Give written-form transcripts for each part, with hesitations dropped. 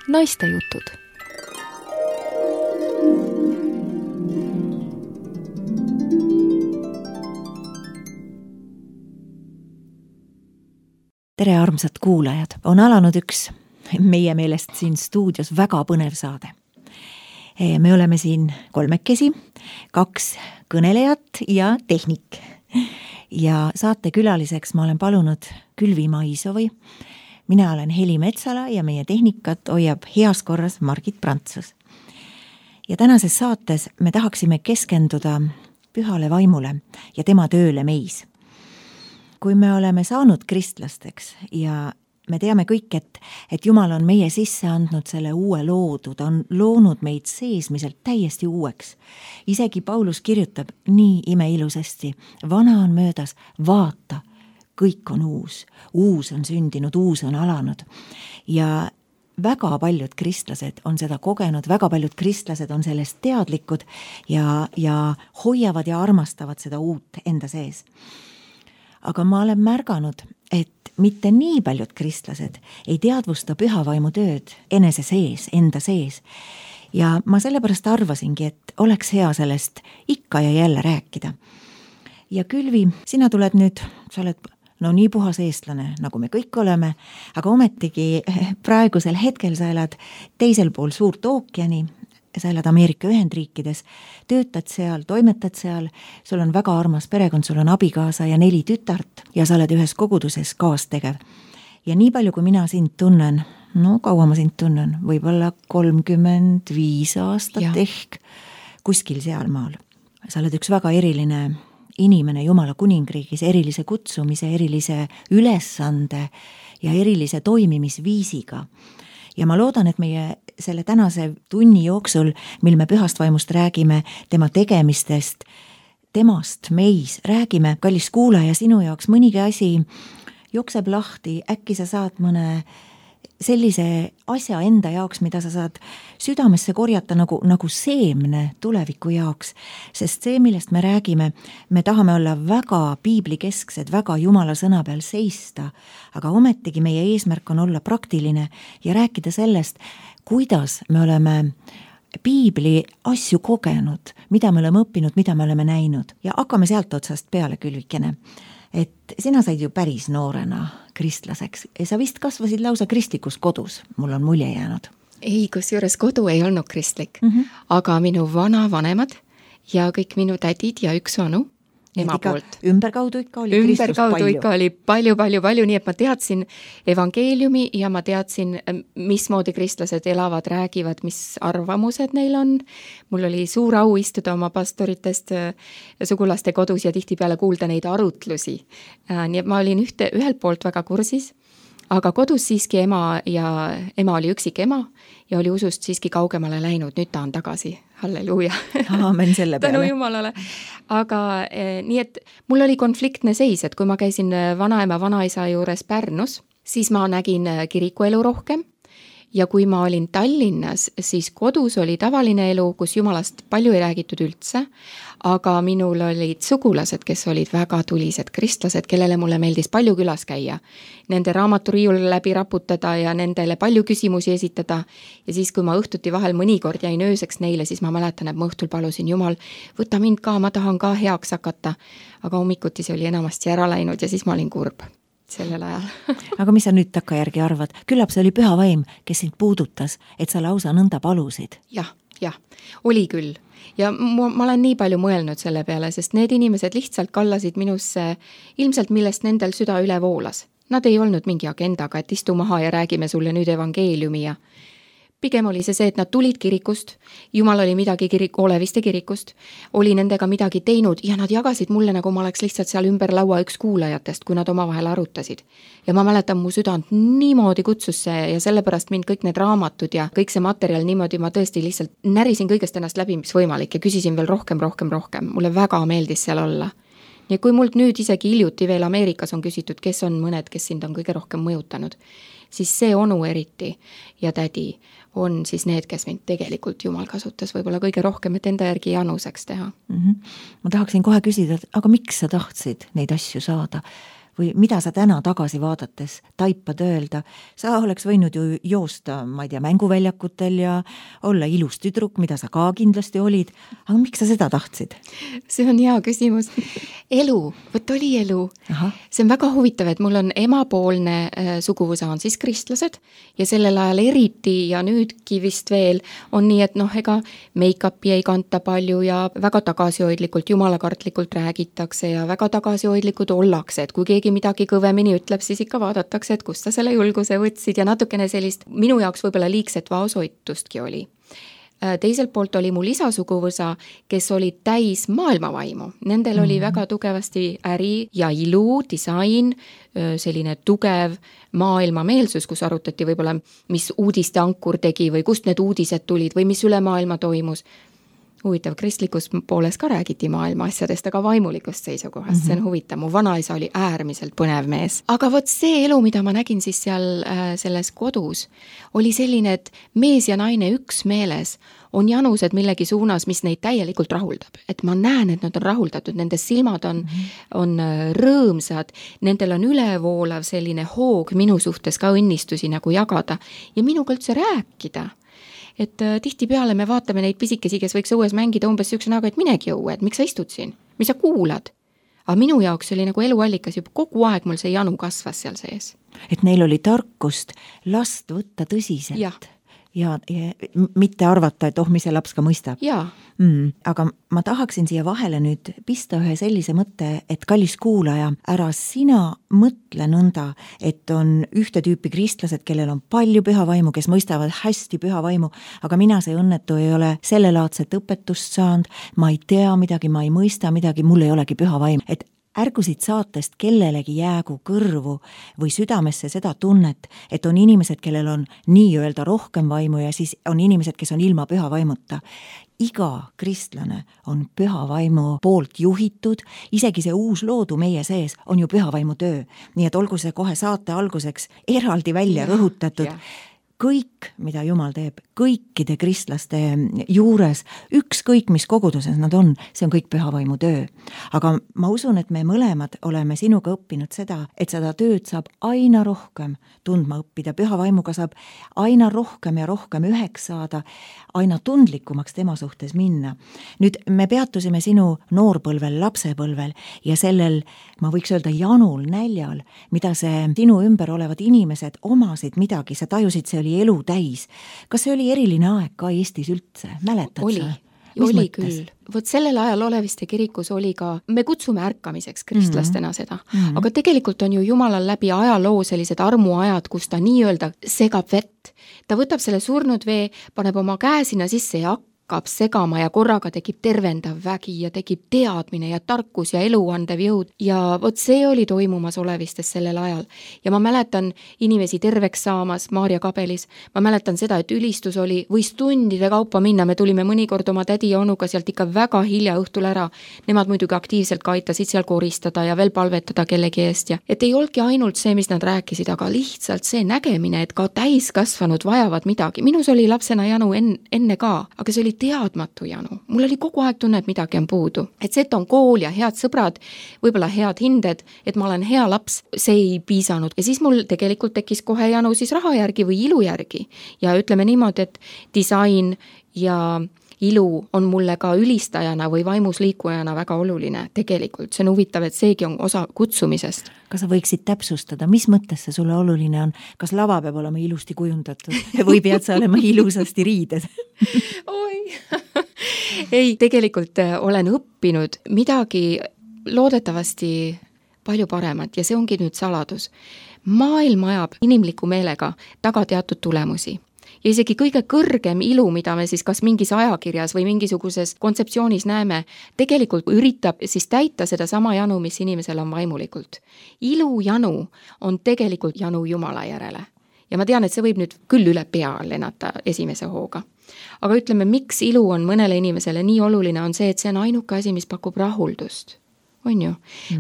Naistejutud. Tere, armsad kuulajad! On alanud üks meie meelest siin stuudios väga põnev saade. Me oleme siin kolmekesi, 2 kõnelejat ja tehnik. Ja saate külaliseks ma olen palunud Külvi Maisovi. Mina olen Heli Metsala ja meie tehnikat hoiab heas korras Margit Prantsus. Ja tänases saates me tahaksime keskenduda pühale vaimule ja tema tööle meis. Kui me oleme saanud kristlasteks ja me teame kõik, et Jumal on meie sisse andnud selle uue loodu, ta on loonud meid seesmiselt täiesti uueks. Isegi Paulus kirjutab nii imeilusasti, vana on möödas, vaata, kõik on uus. Uus on sündinud, uus on alanud. Ja väga paljud kristlased on seda kogenud, väga paljud kristlased on sellest teadlikud ja hoiavad ja armastavad seda uut enda sees. Aga ma olen märganud, et mitte nii paljud kristlased ei teadvusta pühavaimu tööd enese sees, enda sees. Ja ma sellepärast arvasingi, et oleks hea sellest ikka ja jälle rääkida. Ja Külvi, sina tuled nüüd, sa oled nii puhas eestlane, nagu me kõik oleme, aga ometigi praegusel hetkel sa elad teisel pool suurt ookeani, sa elad Ameerika Ühendriikides, töötad seal, toimetad seal, sul on väga armas perekond, sul on abikaasa ja 4 tütart ja sa oled ühes koguduses kaastegev. Ja nii palju, kui mina sind tunnen, kaua ma sind tunnen, võib-olla 35 aastat ehk kuskil sealmaal. Sa oled üks väga eriline inimene Jumala kuningriigis, erilise kutsumise, erilise ülesande ja erilise toimimisviisiga. Ja ma loodan, et meie selle tänase tunni jooksul, mil me pühast vaimust räägime, tema tegemistest, temast meis räägime, kallis kuulaja, sinu jaoks mõnigi asi jookseb lahti, äkki sa saad mõne sellise asja enda jaoks, mida sa saad südamesse korjata nagu seemne tuleviku jaoks, sest see, millest me räägime, me tahame olla väga piiblikesksed, väga Jumala sõna peal seista, aga ometigi meie eesmärk on olla praktiline ja rääkida sellest, kuidas me oleme piibli asju kogenud, mida me oleme õppinud, mida me oleme näinud. Ja hakkame sealt otsast peale, Külvikene. Et sina said ju päris noorena kristlaseks. Sa vist kasvasid lausa kristlikus kodus, mul on mulje jäänud. Ei, kusjuures kodu ei olnud kristlik, aga minu vanavanemad ja kõik minu tädid ja üks onu, ema poolt. Ümberkaudu ikka oli Kristus palju. Ikka oli palju, nii et ma teadsin evangeeliumi ja ma teadsin, mismoodi kristlased elavad, räägivad, mis arvamused neil on. Mul oli suur au istuda oma pastoritest sugulaste kodus ja tihtipeale kuulda neid arutlusi. Nii et ma olin ühelt poolt väga kursis, aga kodus siiski ema oli üksik ema ja oli usust siiski kaugemale läinud, nüüd ta on tagasi. Halleluuja. Aamen selle peale. Tänu Jumalale. Aga nii, et mul oli konfliktne seis, et kui ma käisin vanaema, vanaisa juures Pärnus, siis ma nägin kirikuelu rohkem. Ja kui ma olin Tallinnas, siis kodus oli tavaline elu, kus Jumalast palju ei räägitud üldse, aga minul olid sugulased, kes olid väga tulised kristlased, kellele mulle meeldis palju külas käia. Nende raamaturiiul läbi raputada ja nendele palju küsimusi esitada. Ja siis, kui ma õhtuti vahel mõnikord jäin ööseks neile, siis ma mäletan, et ma õhtul palusin Jumal, võta mind ka, ma tahan ka heaks hakata. Aga hommikuti see oli enamasti ära läinud ja siis ma olin kurb sellel ajal. Aga mis sa nüüd takkajärgi arvad? Küllap see oli püha vaim, kes sind puudutas, et sa lausa nõnda palusid. Jah, oli küll. Ja ma olen nii palju mõelnud selle peale, sest need inimesed lihtsalt kallasid minusse ilmselt, millest nendel süda üle voolas. Nad ei olnud mingi agendaga, et istu maha ja räägime sulle nüüd evangeeliumi ja pigem oli see, et nad tulid kirikust, Jumal oli midagi Oleviste kirikust, oli nendega midagi teinud ja nad jagasid mulle, nagu ma oleks lihtsalt seal ümber laua üks kuulajatest, kui nad omavahel arutasid. Ja ma mäletan, mu südant niimoodi kutsus see ja sellepärast mind kõik need raamatud ja kõik see materjal niimoodi, ma tõesti lihtsalt närisin kõigest ennast läbi, mis võimalik ja küsisin veel rohkem. Mulle väga meeldis seal olla. Ja kui mult nüüd isegi hiljuti veel Ameerikas on küsitud, kes on mõned, kes sind on kõige rohkem mõjutanud, siis see onu eriti ja tädi on siis need, kes mind tegelikult Jumal kasutas võib-olla kõige rohkem, et enda järgi januseks teha. Ma tahaksin kohe küsida, aga miks sa tahtsid neid asju saada? või mida sa täna tagasi vaadates taipad öelda, sa oleks võinud ju joosta, ma ei tea, mänguväljakutel ja olla ilus tüdruk, mida sa ka kindlasti olid, aga miks sa seda tahtsid? See on hea küsimus. Elu, võt oli elu. See on väga huvitav, et mul on emapoolne suguvõsa on siis kristlased ja sellel ajal eriti ja nüüdki vist veel on nii, et ega make-upi ei kanta palju ja väga tagasihoidlikult, jumalakartlikult räägitakse ja väga tagasihoidlikud ollakse, et kui keegi midagi kõvemini ütleb, siis ikka vaadatakse, et kust sa selle julguse võtsid ja natukene sellist minu jaoks võib-olla liigset vaoshoitustki oli. Teiselt poolt oli mul isasuguvõsa, kes oli täis maailmavaimu. Nendel oli väga tugevasti äri ja ilu, disain, selline tugev maailmameelsus, kus arutati võib-olla, mis uudiste ankur tegi või kust need uudised tulid või mis üle maailma toimus. Huvitav, kristlikus pooles ka räägiti maailma asjadest, aga vaimulikust seisukohast, see on huvitav. Mu vanaisa oli äärmiselt põnev mees. Aga vot see elu, mida ma nägin siis seal selles kodus, oli selline, et mees ja naine üksmeeles on janused millegi suunas, mis neid täielikult rahuldab. Et ma näen, et nad on rahuldatud, nende silmad on rõõmsad, nendel on ülevoolav selline hoog minu suhtes ka õnnistusi nagu jagada ja minuga üldse rääkida. Et tihtipeale me vaatame neid pisikesi, kes võiks õues mängida umbes sükse näoga, et minegi õue, et miks sa istud siin, mis sa kuulad? Aga minu jaoks oli nagu eluallikas juba kogu aeg mul see janu kasvas seal sees. Et neil oli tarkust last võtta tõsiselt ja mitte arvata, et mis see laps ka mõistab. Aga ma tahaksin siia vahele nüüd pista ühe sellise mõtte, et kallis kuulaja, ära sina mõtle nõnda, et on ühte tüüpi kristlased, kellel on palju pühavaimu, kes mõistavad hästi pühavaimu, aga mina see õnnetu ei ole sellelaadset õpetust saanud, ma ei tea midagi, ma ei mõista midagi, mul ei olegi pühavaim. Et ärgusid saatest kellelegi jäägu kõrvu või südamesse seda tunnet, et on inimesed, kellel on nii-öelda rohkem vaimu ja siis on inimesed, kes on ilma püha vaimuta. Iga kristlane on püha vaimu poolt juhitud, isegi see uus loodu meie sees on ju püha vaimu töö. Nii et olgu see kohe saate alguseks eraldi välja rõhutatud. Kõik, mida Jumal teeb, kõikide kristlaste juures, ükskõik mis koguduses nad on, see on kõik pühavaimu töö. Aga ma usun, et me mõlemad oleme sinuga õppinud seda, et seda tööd saab aina rohkem tundma õppida, pühavaimuga saab aina rohkem ja rohkem üheks saada, aina tundlikumaks tema suhtes minna. Nüüd me peatusime sinu noorpõlvel, lapsepõlvel ja sellel, ma võiks öelda, janul, näljal, mida see sinu ümber olevad inimesed omasid midagi, sa tajusid, see oli elu täis. Kas see oli eriline aeg ka Eestis üldse? Mäletad sa? Oli küll. Vot sellel ajal Oleviste kirikus oli ka, me kutsume ärkamiseks kristlastena seda, aga tegelikult on ju Jumalal läbi ajaloo sellised armuajad, kus ta nii-öelda segab vett. Ta võtab selle surnud vee, paneb oma käe sinna sisse ja hakkab segama ja korraga tekib tervendav vägi ja tekib teadmine ja tarkus ja eluandev jõud ja vot see oli toimumas Olevistes sellel ajal. Ja ma mäletan inimesi terveks saamas Maarja kabelis, ma mäletan seda, et ülistus oli, võis tundide kaupa minna, me tulime mõnikord oma tädi ja onuga sealt ikka väga hilja õhtul ära. Nemad muidugi aktiivselt ka aitasid seal koristada ja veel palvetada kellegi eest ja et ei olnudki ainult see, mis nad rääkisid, aga lihtsalt see nägemine, et ka täiskasvanud vajavad midagi. Minus oli lapsena janu enne ka, aga see oli teadmatu janu. Mul oli kogu aeg tunne, et midagi on puudu. Et see, et on kool ja head sõbrad, võib-olla head hinded, et ma olen hea laps, see ei piisanud. Ja siis mul tegelikult tekkis kohe janu siis raha järgi või ilu järgi. Ja ütleme niimoodi, et disain ja ilu on mulle ka ülistajana või vaimus liikujana väga oluline tegelikult. See on huvitav, et seegi on osa kutsumisest. Kas sa võiksid täpsustada, mis mõttes see sulle oluline on? Kas lava peab olema ilusti kujundatud või pead sa olema ilusasti riided? Ei, tegelikult olen õppinud midagi loodetavasti palju paremat ja see ongi nüüd saladus. Maailm ajab inimliku meelega taga teatud tulemusi. Ja isegi kõige kõrgem ilu, mida me siis kas mingis ajakirjas või mingisuguses kontseptsioonis näeme, tegelikult üritab siis täita seda sama janu, mis inimesel on vaimulikult. Ilu janu on tegelikult janu Jumala järele. Ja ma tean, et see võib nüüd küll üle pea lennata esimese hooga. Aga ütleme, miks ilu on mõnele inimesele nii oluline, on see, et see on ainuke asi, mis pakub rahuldust. On ju?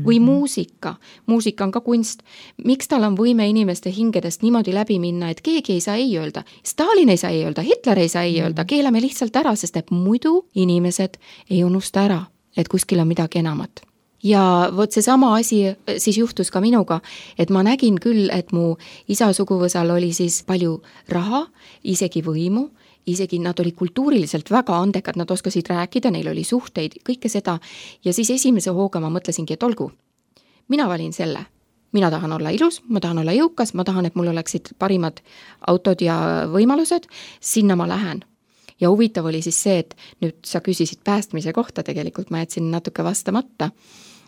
Või muusika. Muusika on ka kunst. Miks tal on võime inimeste hingedest niimoodi läbi minna, et keegi ei saa ei öelda. Stalin ei saa ei öelda, Hitler ei saa ei öelda, keelame lihtsalt ära, sest et muidu inimesed ei unusta ära, et kuskil on midagi enamat. Ja vot see sama asi siis juhtus ka minuga, et ma nägin küll, et mu isa suguvõsal oli siis palju raha, isegi võimu, isegi nad olid kultuuriliselt väga andekad, nad oskasid rääkida, neil oli suhteid, kõike seda. Ja siis esimese hooga ma mõtlesingi, et olgu, mina valin selle. Mina tahan olla ilus, ma tahan olla jõukas, ma tahan, et mul oleksid parimad autod ja võimalused, sinna ma lähen. Ja huvitav oli siis see, et nüüd sa küsisid päästmise kohta, tegelikult ma jätsin natuke vastamata.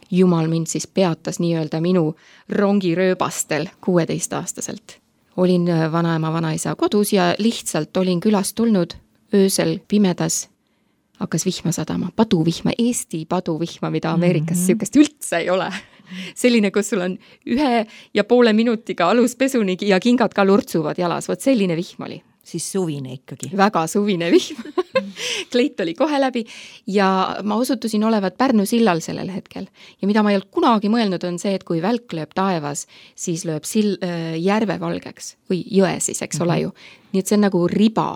Jumal mind siis peatas nii-öelda minu rongirööbastel 16-aastaselt. Olin vanaema, vanaisa kodus ja lihtsalt olin külast tulnud öösel pimedas. Hakkas vihma sadama, paduvihma, Eesti paduvihma, mida Ameerikas sihukest üldse ei ole. Selline, kus sul on 1,5 minutiga aluspesuni ja kingad ka lurtsuvad jalas, vot selline vihm oli. Siis suvine ikkagi. Väga suvine vihm. Kleit oli kohe läbi ja ma osutusin olevat Pärnu sillal sellel hetkel. Ja mida ma ei olnud kunagi mõelnud on see, et kui välk lööb taevas, siis lööb järve valgeks või jõe siis, eks ole ju. Nii et see on nagu riba,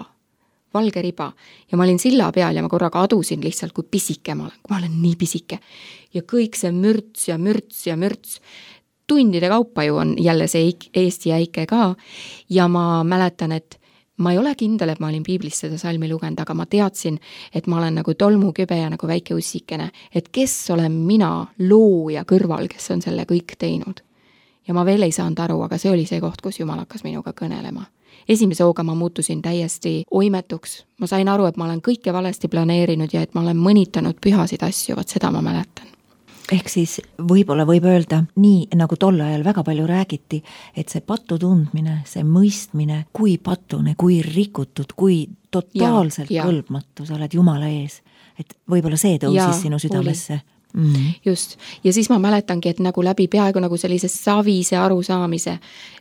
valge riba. Ja ma olin silla peal ja ma korraga adusin lihtsalt, kui pisike ma olen nii pisike. Ja kõik see mürts ja mürts ja mürts. Tundide kaupa ju on jälle see Eesti äike ka ja ma mäletan, et ma ei ole kindel, et ma olin piiblist seda salmi lugenud, aga ma teadsin, et ma olen nagu tolmukübe ja nagu väike ussikene, et kes olen mina looja kõrval, kes on selle kõik teinud. Ja ma veel ei saanud aru, aga see oli see koht, kus Jumal hakkas minuga kõnelema. Esimese hooga ma muutusin täiesti oimetuks. Ma sain aru, et ma olen kõike valesti planeerinud ja et ma olen mõnitanud pühasid asju, vaat seda ma mäletan. Ehk siis võib-olla võib öelda nii, nagu tol ajal väga palju räägiti, et see patu tundmine, see mõistmine, kui patune, kui rikutud, kui totaalselt kõlbmatu sa oled Jumala ees. Et võib-olla see tõusis sinu südamesse. Just. Ja siis ma mäletangi, et nagu läbi peaaegu nagu sellise savise arusaamise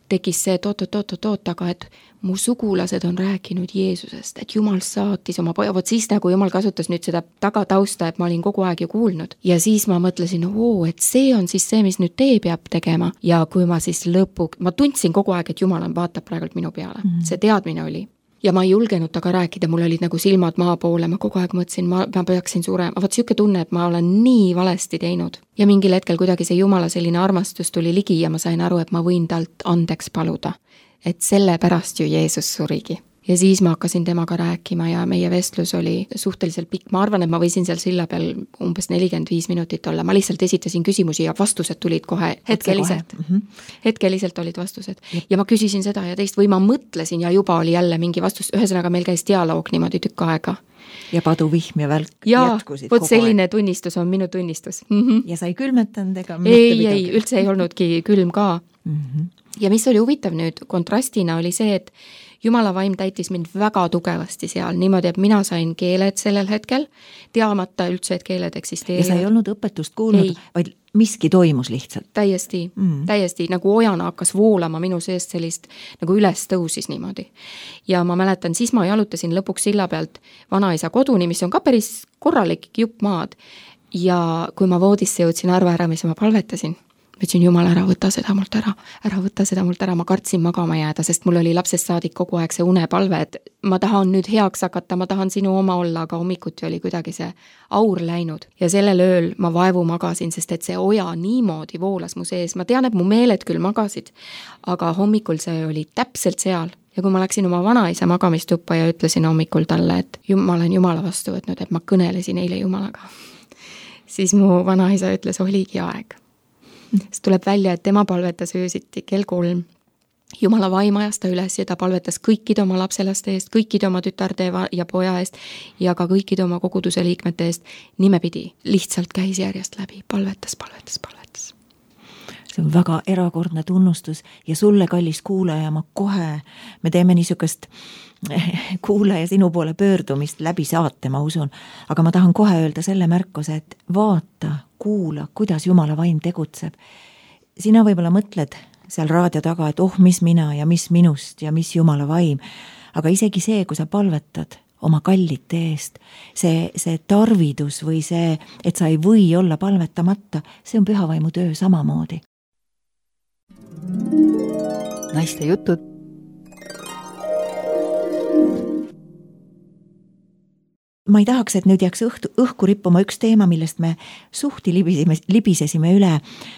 tekkis see oot, aga et mu sugulased on rääkinud Jeesusest, et Jumal saatis oma poja, vot siis nagu Jumal kasutas nüüd seda tagatausta, et ma olin kogu aeg ju kuulnud. Ja siis ma mõtlesin, et see on siis see, mis nüüd tee peab tegema. Ja kui ma siis ma tundsin kogu aeg, et Jumal vaatab praegult minu peale. See teadmine oli. Ja ma ei julgenud taga rääkida, mul olid nagu silmad maa poole, ma kogu aeg mõtlesin, ma peaksin surema. Vaat siuke tunne, et ma olen nii valesti teinud. Ja mingil hetkel kuidagi see Jumala selline armastus tuli ligi ja ma sain aru, et ma võin talt andeks paluda. Et selle pärast ju Jeesus surigi. Ja siis ma hakkasin temaga rääkima ja meie vestlus oli suhteliselt pikk. Ma arvan, et ma võisin seal silla peal umbes 45 minutit olla. Ma lihtsalt esitasin küsimusi ja vastused tulid kohe hetkeliselt. Hetkeliselt olid vastused. Ja ma küsisin seda ja teist või ma mõtlesin ja juba oli jälle mingi vastus. Ühesõnaga meil käis dialoog niimoodi tükk aega. Ja paduvihm ja välk jätkusid kogu aeg. Selline tunnistus on minu tunnistus. Ja sa ei külmetanud ega ei, üldse ei olnudki külm ka. Ja mis oli huvitav nüüd kontrastina oli see, et Jumala vaim täitis mind väga tugevasti seal, niimoodi, et mina sain keeled sellel hetkel, teamata üldse, et keeled eksisteerivad. Ja sa ei olnud õpetust kuulnud, vaid miski toimus lihtsalt. Täiesti nagu ojana hakkas voolama minu seest sellist, nagu üles tõusis niimoodi. Ja ma mäletan, siis ma jalutasin lõpuks silla pealt vanaisa koduni, mis on ka päris korralik jupp maad. Ja kui ma voodisse jõudsin arvaäramise, ma palvetasin. Ütlesin, Jumal, ära võta seda mult ära, ma kartsin magama jääda, sest mul oli lapsest saadik kogu aeg see unepalve, et ma tahan nüüd heaks hakata, ma tahan sinu oma olla, aga hommikuti oli kuidagi see aur läinud. Ja sellel ööl ma vaevu magasin, sest et see oja niimoodi voolas mu sees. Ma tean, et mu meeled küll magasid, aga hommikul see oli täpselt seal. Ja kui ma läksin oma vanaisa magamistuppa ja ütlesin hommikul talle, et ma olen Jumala vastu võtnud, et ma kõnelesin eile Jumalaga, siis mu vanaisa ütles, oligi aeg. Siis tuleb välja, et tema palvetas öösiti kell 3. Jumala vaim ajas ta üles ja ta palvetas kõikide oma lapselaste eest, kõikide oma tütarde ja poja eest ja ka kõikide oma koguduse liikmete eest nimepidi. Lihtsalt käis järjest läbi, palvetas. See on väga erakordne tunnustus ja sulle, kallis kuulaja, me teeme niisugust kuulaja sinu poole pöördumist läbi saate, ma usun. Aga ma tahan kohe öelda selle märkuse, et vaata, kuula, kuidas Jumala vaim tegutseb. Sina võib-olla mõtled seal raadio taga, et mis mina ja mis minust ja mis Jumala vaim. Aga isegi see, kui sa palvetad oma kallite eest, see tarvidus või see, et sa ei või olla palvetamata, see on pühavaimu töö samamoodi. Naiste jutud. ma ei tahaks, et nüüd jääks õhku rippuma üks teema, millest me suhti libisesime üle.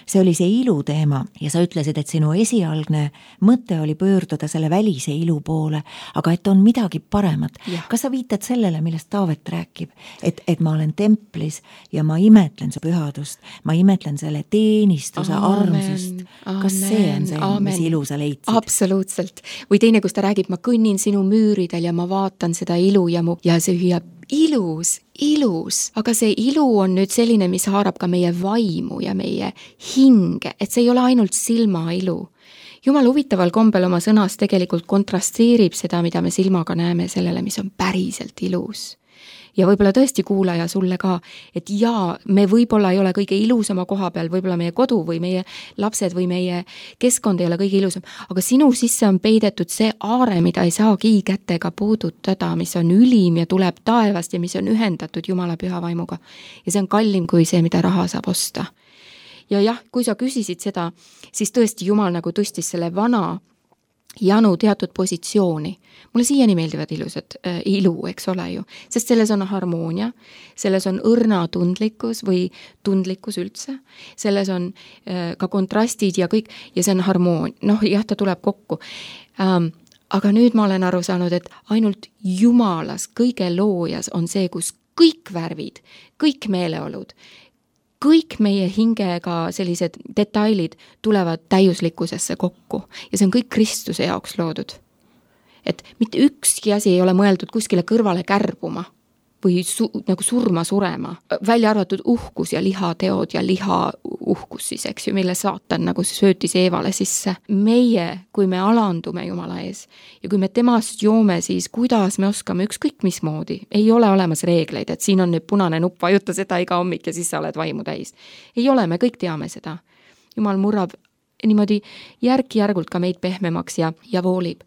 See oli see ilu teema ja sa ütlesid, et sinu esialgne mõte oli pöörduda selle välise ilu poole, aga et on midagi paremat. Kas sa viitad sellele, millest Taavet räägib, et ma olen templis ja ma imetlen su pühadust, ma imetlen selle teenistuse armsust. Kas see on see, mis ilu sa leidsid? Absoluutselt. Või teine, kus ta räägib, ma kõnnin sinu müüridel ja ma vaatan seda ilu ja see hüüab ilus, aga see ilu on nüüd selline, mis haarab ka meie vaimu ja meie hinge, et see ei ole ainult silma ilu. Jumal huvitaval kombel oma sõnas tegelikult kontrasteerib seda, mida me silmaga näeme sellele, mis on päriselt ilus. Ja võib-olla tõesti kuulaja sulle ka, et jaa, me võib-olla ei ole kõige ilusama koha peal, võib-olla meie kodu või meie lapsed või meie keskkond ei ole kõige ilusam, aga sinu sisse on peidetud see aare, mida ei saagi kätega puudutada, mis on ülim ja tuleb taevast ja mis on ühendatud Jumala püha vaimuga. Ja see on kallim kui see, mida raha saab osta. Ja jah, kui sa küsisid seda, siis tõesti Jumal nagu tõstis selle vana janu teatud positsiooni. Mulle siiani meeldivad ilusad ilu, eks ole ju, sest selles on harmoonia, selles on õrna tundlikkus või tundlikkus üldse, selles on ka kontrastid ja kõik, ja see on harmoonia, jah, ta tuleb kokku. Aga nüüd ma olen aru saanud, et ainult Jumalas, kõige loojas on see, kus kõik värvid, kõik meeleolud, kõik meie hingega sellised detailid tulevad täiuslikkusesse kokku ja see on kõik Kristuse jaoks loodud. Et mitte ükski asi ei ole mõeldud kuskile kõrvale kärbuma või nagu surema, välja arvatud uhkus ja lihateod ja uhkus siis, eks ju, mille saatan nagu söötis Eevale sisse. Meie, kui me alandume Jumala ees ja kui me temast joome, siis kuidas me oskame ükskõik mismoodi. Ei ole olemas reegleid, et siin on nüüd punane nupp, vajuta seda iga hommik ja siis sa oled vaimu täis. Ei ole, me kõik teame seda. Jumal murrab niimoodi järk-järgult ka meid pehmemaks ja voolib.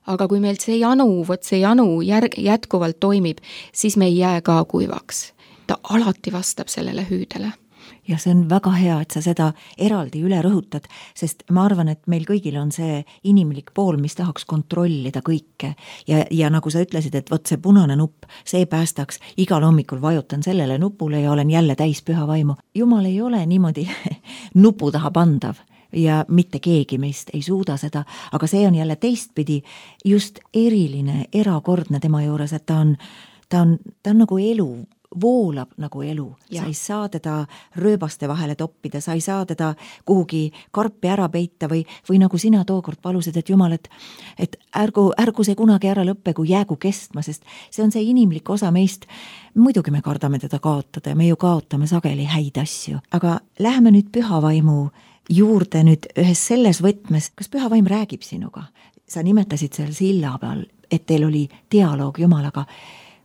Aga kui meil see janu jätkuvalt toimib, siis me ei jää ka kuivaks. Ta alati vastab sellele hüüdele. Ja see on väga hea, et sa seda eraldi üle rõhutad, sest ma arvan, et meil kõigil on see inimlik pool, mis tahaks kontrollida kõike. Ja nagu sa ütlesid, et võt see punane nupp, see päästaks, igal hommikul vajutan sellele nupule ja olen jälle täis püha vaimu. Jumal ei ole niimoodi nupu taha pandav. Ja mitte keegi meist ei suuda seda, aga see on jälle teistpidi just eriline, erakordne tema juures, et ta on nagu elu, voolab nagu elu. Sa ei saa teda rööbaste vahele toppida, sa ei saa teda kuhugi karpi ära peita või nagu sina tookord palusid, et Jumal, et ärgu see kunagi ära lõppe, kui jäägu kestma, sest see on see inimlik osa meist. Muidugi me kardame teda kaotada ja me ju kaotame sageli häid asju, aga läheme nüüd püha vaimu juurde nüüd ühes selles võtmes, kas püha vaim räägib sinuga? Sa nimetasid seal silla peal, et teil oli dialoog Jumalaga.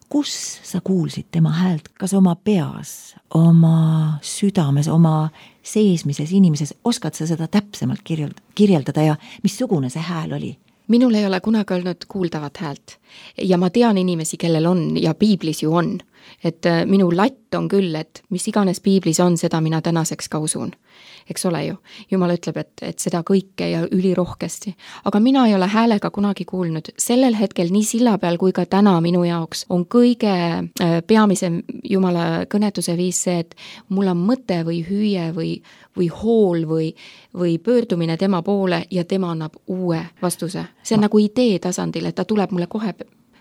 Kus sa kuulsid tema häält? Kas oma peas, oma südames, oma seesmises inimeses? Oskad sa seda täpsemalt kirjeldada ja missugune see hääl oli? Minul ei ole kunagi olnud kuuldavat häält ja ma tean inimesi, kellel on ja piiblis ju on. Et minu latt on küll, et mis iganes piiblis on, seda mina tänaseks ka usun. Eks ole ju, Jumal ütleb, et seda kõike ja ülirohkesti. Aga mina ei ole häälega kunagi kuulnud. Sellel hetkel nii silla peal kui ka täna minu jaoks on kõige peamisem Jumala kõnetuse viis see, et mul on mõte või hüüe või hool või pöördumine tema poole ja tema annab uue vastuse. See on nagu idee tasandil, et ta tuleb mulle kohe,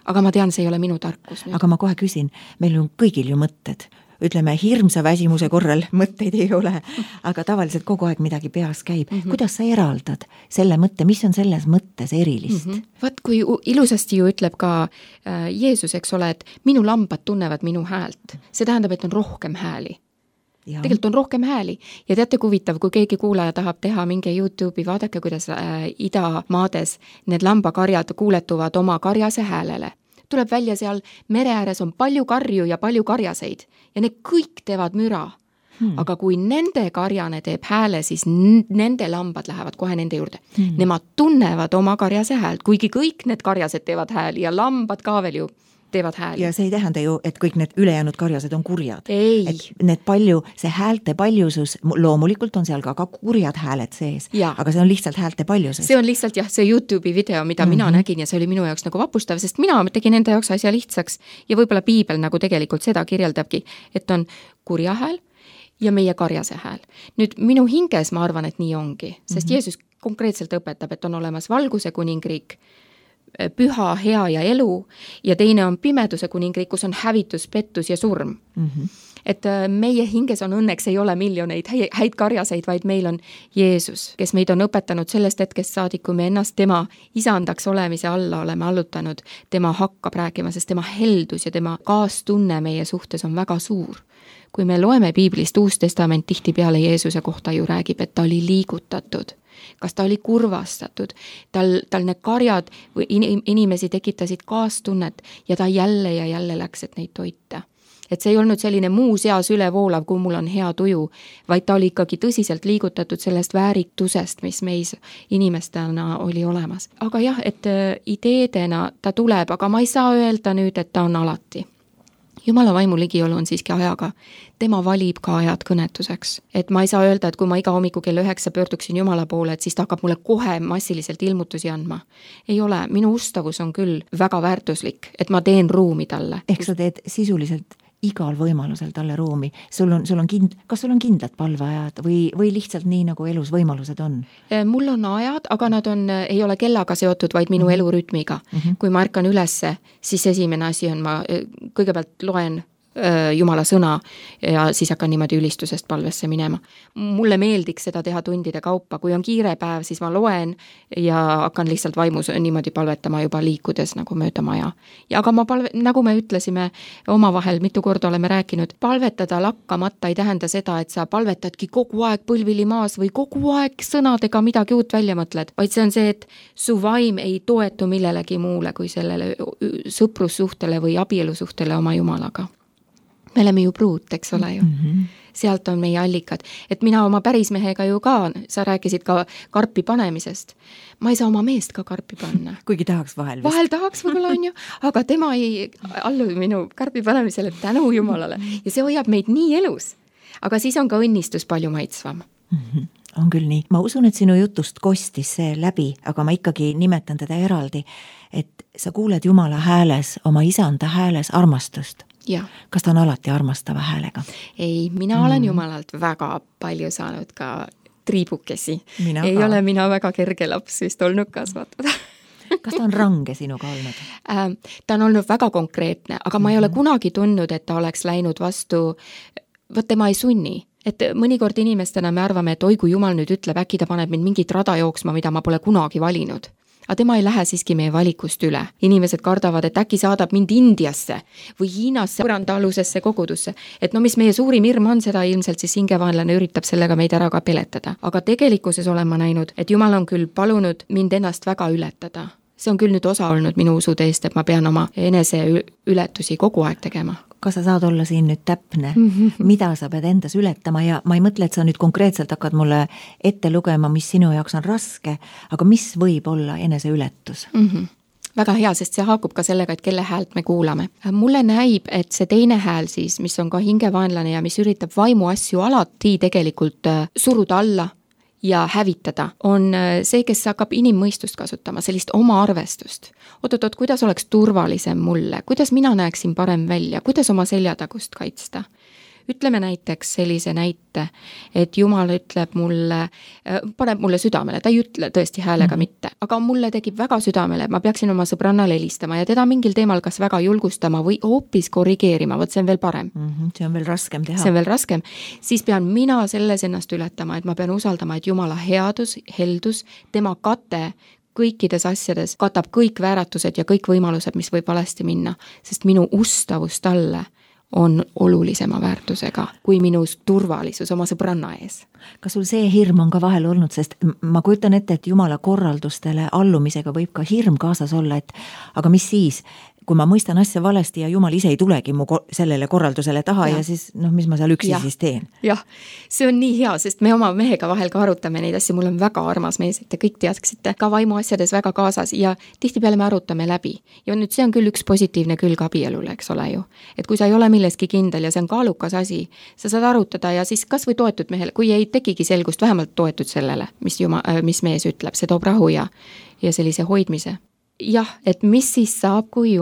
aga ma tean, see ei ole minu tarkus. Aga ma kohe küsin, meil on kõigil ju mõtted. Ütleme, hirmsa väsimuse korral mõtteid ei ole, aga tavaliselt kogu aeg midagi peas käib. Kuidas sa eraldad selle mõtte, mis on selles mõttes erilist? Vaat kui ilusasti ju ütleb ka Jeesus, eks ole, et minu lambad tunnevad minu häält. See tähendab, et on rohkem hääli. Ja. Tegelikult on rohkem hääli ja teate huvitav, kui keegi kuulaja tahab teha mingi YouTube'i, vaadake, kuidas idamaades need lambakarjad kuuletuvad oma karjase häälele. Tuleb välja seal mere ääres on palju karju ja palju karjaseid ja need kõik teevad müra. Aga kui nende karjane teeb hääle, siis nende lambad lähevad kohe nende juurde. Nemad tunnevad oma karjase häält, kuigi kõik need karjased teevad hääli ja lambad ka veel ju teevad hääli. Ja see ei tähenda ju, et kõik need ülejäänud karjased on kurjad. Ei. Et need see häälte paljusus, loomulikult on seal ka kurjad hääled sees, aga see on lihtsalt häälte paljusus. See on lihtsalt see YouTube'i video, mida mina nägin ja see oli minu jaoks nagu vapustav, sest mina tegin enda jaoks asja lihtsaks ja võib-olla piibel nagu tegelikult seda kirjeldabki, et on kurja hääl ja meie karjase hääl. Nüüd minu hinges ma arvan, et nii ongi, sest Jeesus konkreetselt õpetab, et on olemas valguse kuningriik, püha, hea ja elu ja teine on pimeduse kuningriik, kus on hävitus, pettus ja surm. Et meie hinges on õnneks ei ole miljoneid häid karjaseid, vaid meil on Jeesus, kes meid on õpetanud sellest hetkest saadik, kui me ennast tema isandaks olemise alla oleme allutanud, tema hakkab rääkima, sest tema heldus ja tema kaastunne meie suhtes on väga suur. Kui me loeme piiblist Uus Testament tihtipeale Jeesuse kohta ju räägib, et ta oli liigutatud, kas ta oli kurvastatud, tal need karjad või inimesi tekitasid kaastunnet ja ta jälle ja jälle läks, et neid toita. Et see ei olnud selline muu seas ülevoolav, kui mul on hea tuju, vaid ta oli ikkagi tõsiselt liigutatud sellest vääritusest, mis meis inimestena oli olemas. Aga jah, et ideedena ta tuleb, aga ma ei saa öelda nüüd, et ta on alati. Jumala vaimu ligiolu on siiski ajaga. Tema valib ka ajad kõnetuseks. Et ma ei saa öelda, et kui ma iga hommiku kell 9 pöörduksin Jumala poole, et siis ta hakkab mulle kohe massiliselt ilmutusi andma. Ei ole, minu ustavus on küll väga väärtuslik, et ma teen ruumi talle. Ehk sa teed sisuliselt igal võimalusel talle ruumi. Kas sul on kindlad palveajad või lihtsalt nii, nagu elus võimalused on? Mul on ajad, aga nad ei ole kellaga seotud, vaid minu elurütmiga. Kui ma ärkan ülesse, siis esimene asi on, ma kõigepealt loen Jumala sõna ja siis hakkan niimoodi ülistusest palvesse minema. Mulle meeldiks seda teha tundide kaupa, kui on kiire päev, siis ma loen ja hakkan lihtsalt vaimus niimoodi palvetama juba liikudes nagu mööda maja. Ja aga nagu me ütlesime omavahel, mitu korda oleme rääkinud, palvetada lakkamata ei tähenda seda, et sa palvetadki kogu aeg põlvili maas või kogu aeg sõnadega midagi uut välja mõtled, vaid see on see, et su vaim ei toetu millelegi muule kui sellele sõprussuhtele või abielusuhtele oma Jumalaga. Me oleme ju pruut, eks ole ju. Sealt on meie allikad. Et mina oma pärismehega ju ka, sa rääkisid ka karpi panemisest. Ma ei saa oma meest ka karpi panna. Kuigi tahaks vahel. Vahel tahaks võib-olla on ju, aga tema ei allu minu karpi panemisele tänu Jumalale. Ja see hoiab meid nii elus. Aga siis on ka õnnistus palju maitsvam. On küll nii. Ma usun, et sinu jutust kostis see läbi, aga ma ikkagi nimetan teda eraldi, et sa kuuled Jumala hääles, oma isanda hääles armastust. Ja. Kas ta on alati armastava häälega? Ei, mina olen Jumalalt väga palju saanud ka triibukesi. Ei ole mina väga kerge laps vist olnud kasvatada. Kas ta on range sinuga olnud? Ta on olnud väga konkreetne, aga ma ei ole kunagi tundnud, et ta oleks läinud vastu, võt tema ei sunni. Et mõnikord inimestena me arvame, et oi, kui Jumal nüüd ütleb, äkki ta paneb mind mingit rada jooksma, mida ma pole kunagi valinud. Aga tema ei lähe siiski meie valikust üle. Inimesed kardavad, et äkki saadab mind Indiasse või Hiinasse põrandaalusesse kogudusse. Et no mis meie suurim hirm on, seda ilmselt siis hingevaenlane üritab sellega meid ära ka peletada. Aga tegelikkuses olen ma näinud, et Jumal on küll palunud mind ennast väga ületada. See on küll nüüd osa olnud minu usuteest, et ma pean oma enese ületusi kogu aeg tegema. Kas sa saad olla siin nüüd täpne, mida sa pead endas ületama ja ma ei mõtle, et sa nüüd konkreetselt hakkad mulle ette lugema, mis sinu jaoks on raske, aga mis võib olla enese ületus? Väga hea, sest see haakub ka sellega, et kelle häält me kuulame. Mulle näib, et see teine hääl siis, mis on ka hingevaenlane ja mis üritab vaimu asju alati tegelikult suruda alla ja hävitada, on see, kes hakkab inimmõistust kasutama, sellist oma arvestust. Oot, kuidas oleks turvalisem mulle, kuidas mina näeksin parem välja, kuidas oma seljatagust kaitsta. Ütleme näiteks sellise näite, et Jumal ütleb mulle, paneb mulle südamele, ta ei ütle tõesti häälega mitte, aga mulle tekib väga südamele, ma peaksin oma sõbrannale helistama ja teda mingil teemal kas väga julgustama või hoopis korrigeerima, võt see on veel parem. See on veel raskem teha. See on veel raskem. Siis pean mina selles ennast ületama, et ma pean usaldama, et Jumala headus, heldus, tema kate kõikides asjades katab kõik vääratused ja kõik võimalused, mis võib valesti minna, sest minu ustavus talle on olulisema väärtusega kui minu turvalisus oma sõbranna ees. Kas sul see hirm on ka vahel olnud, sest ma kujutan ette, et Jumala korraldustele allumisega võib ka hirm kaasas olla, et aga mis siis, kui ma mõistan asja valesti ja Jumal ise ei tulegi mu sellele korraldusele taha ja siis mis ma seal üksi siis teen. Jah, see on nii hea, sest me oma mehega vahel ka arutame neid asju, mul on väga armas mees, et te kõik teaksite ka vaimu asjades väga kaasas ja tihtipeale me arutame läbi. Ja nüüd see on küll üks positiivne külg abielule, eks ole ju. Et kui sa ei ole milleski kindel ja see on kaalukas asi, sa saad arutada ja siis kas või toetud mehele, kui ei tekigi selgust, vähemalt toetud sellele, mis mees ütleb, see toob rahu ja sellise hoidmise. Jah, et mis siis saab, kui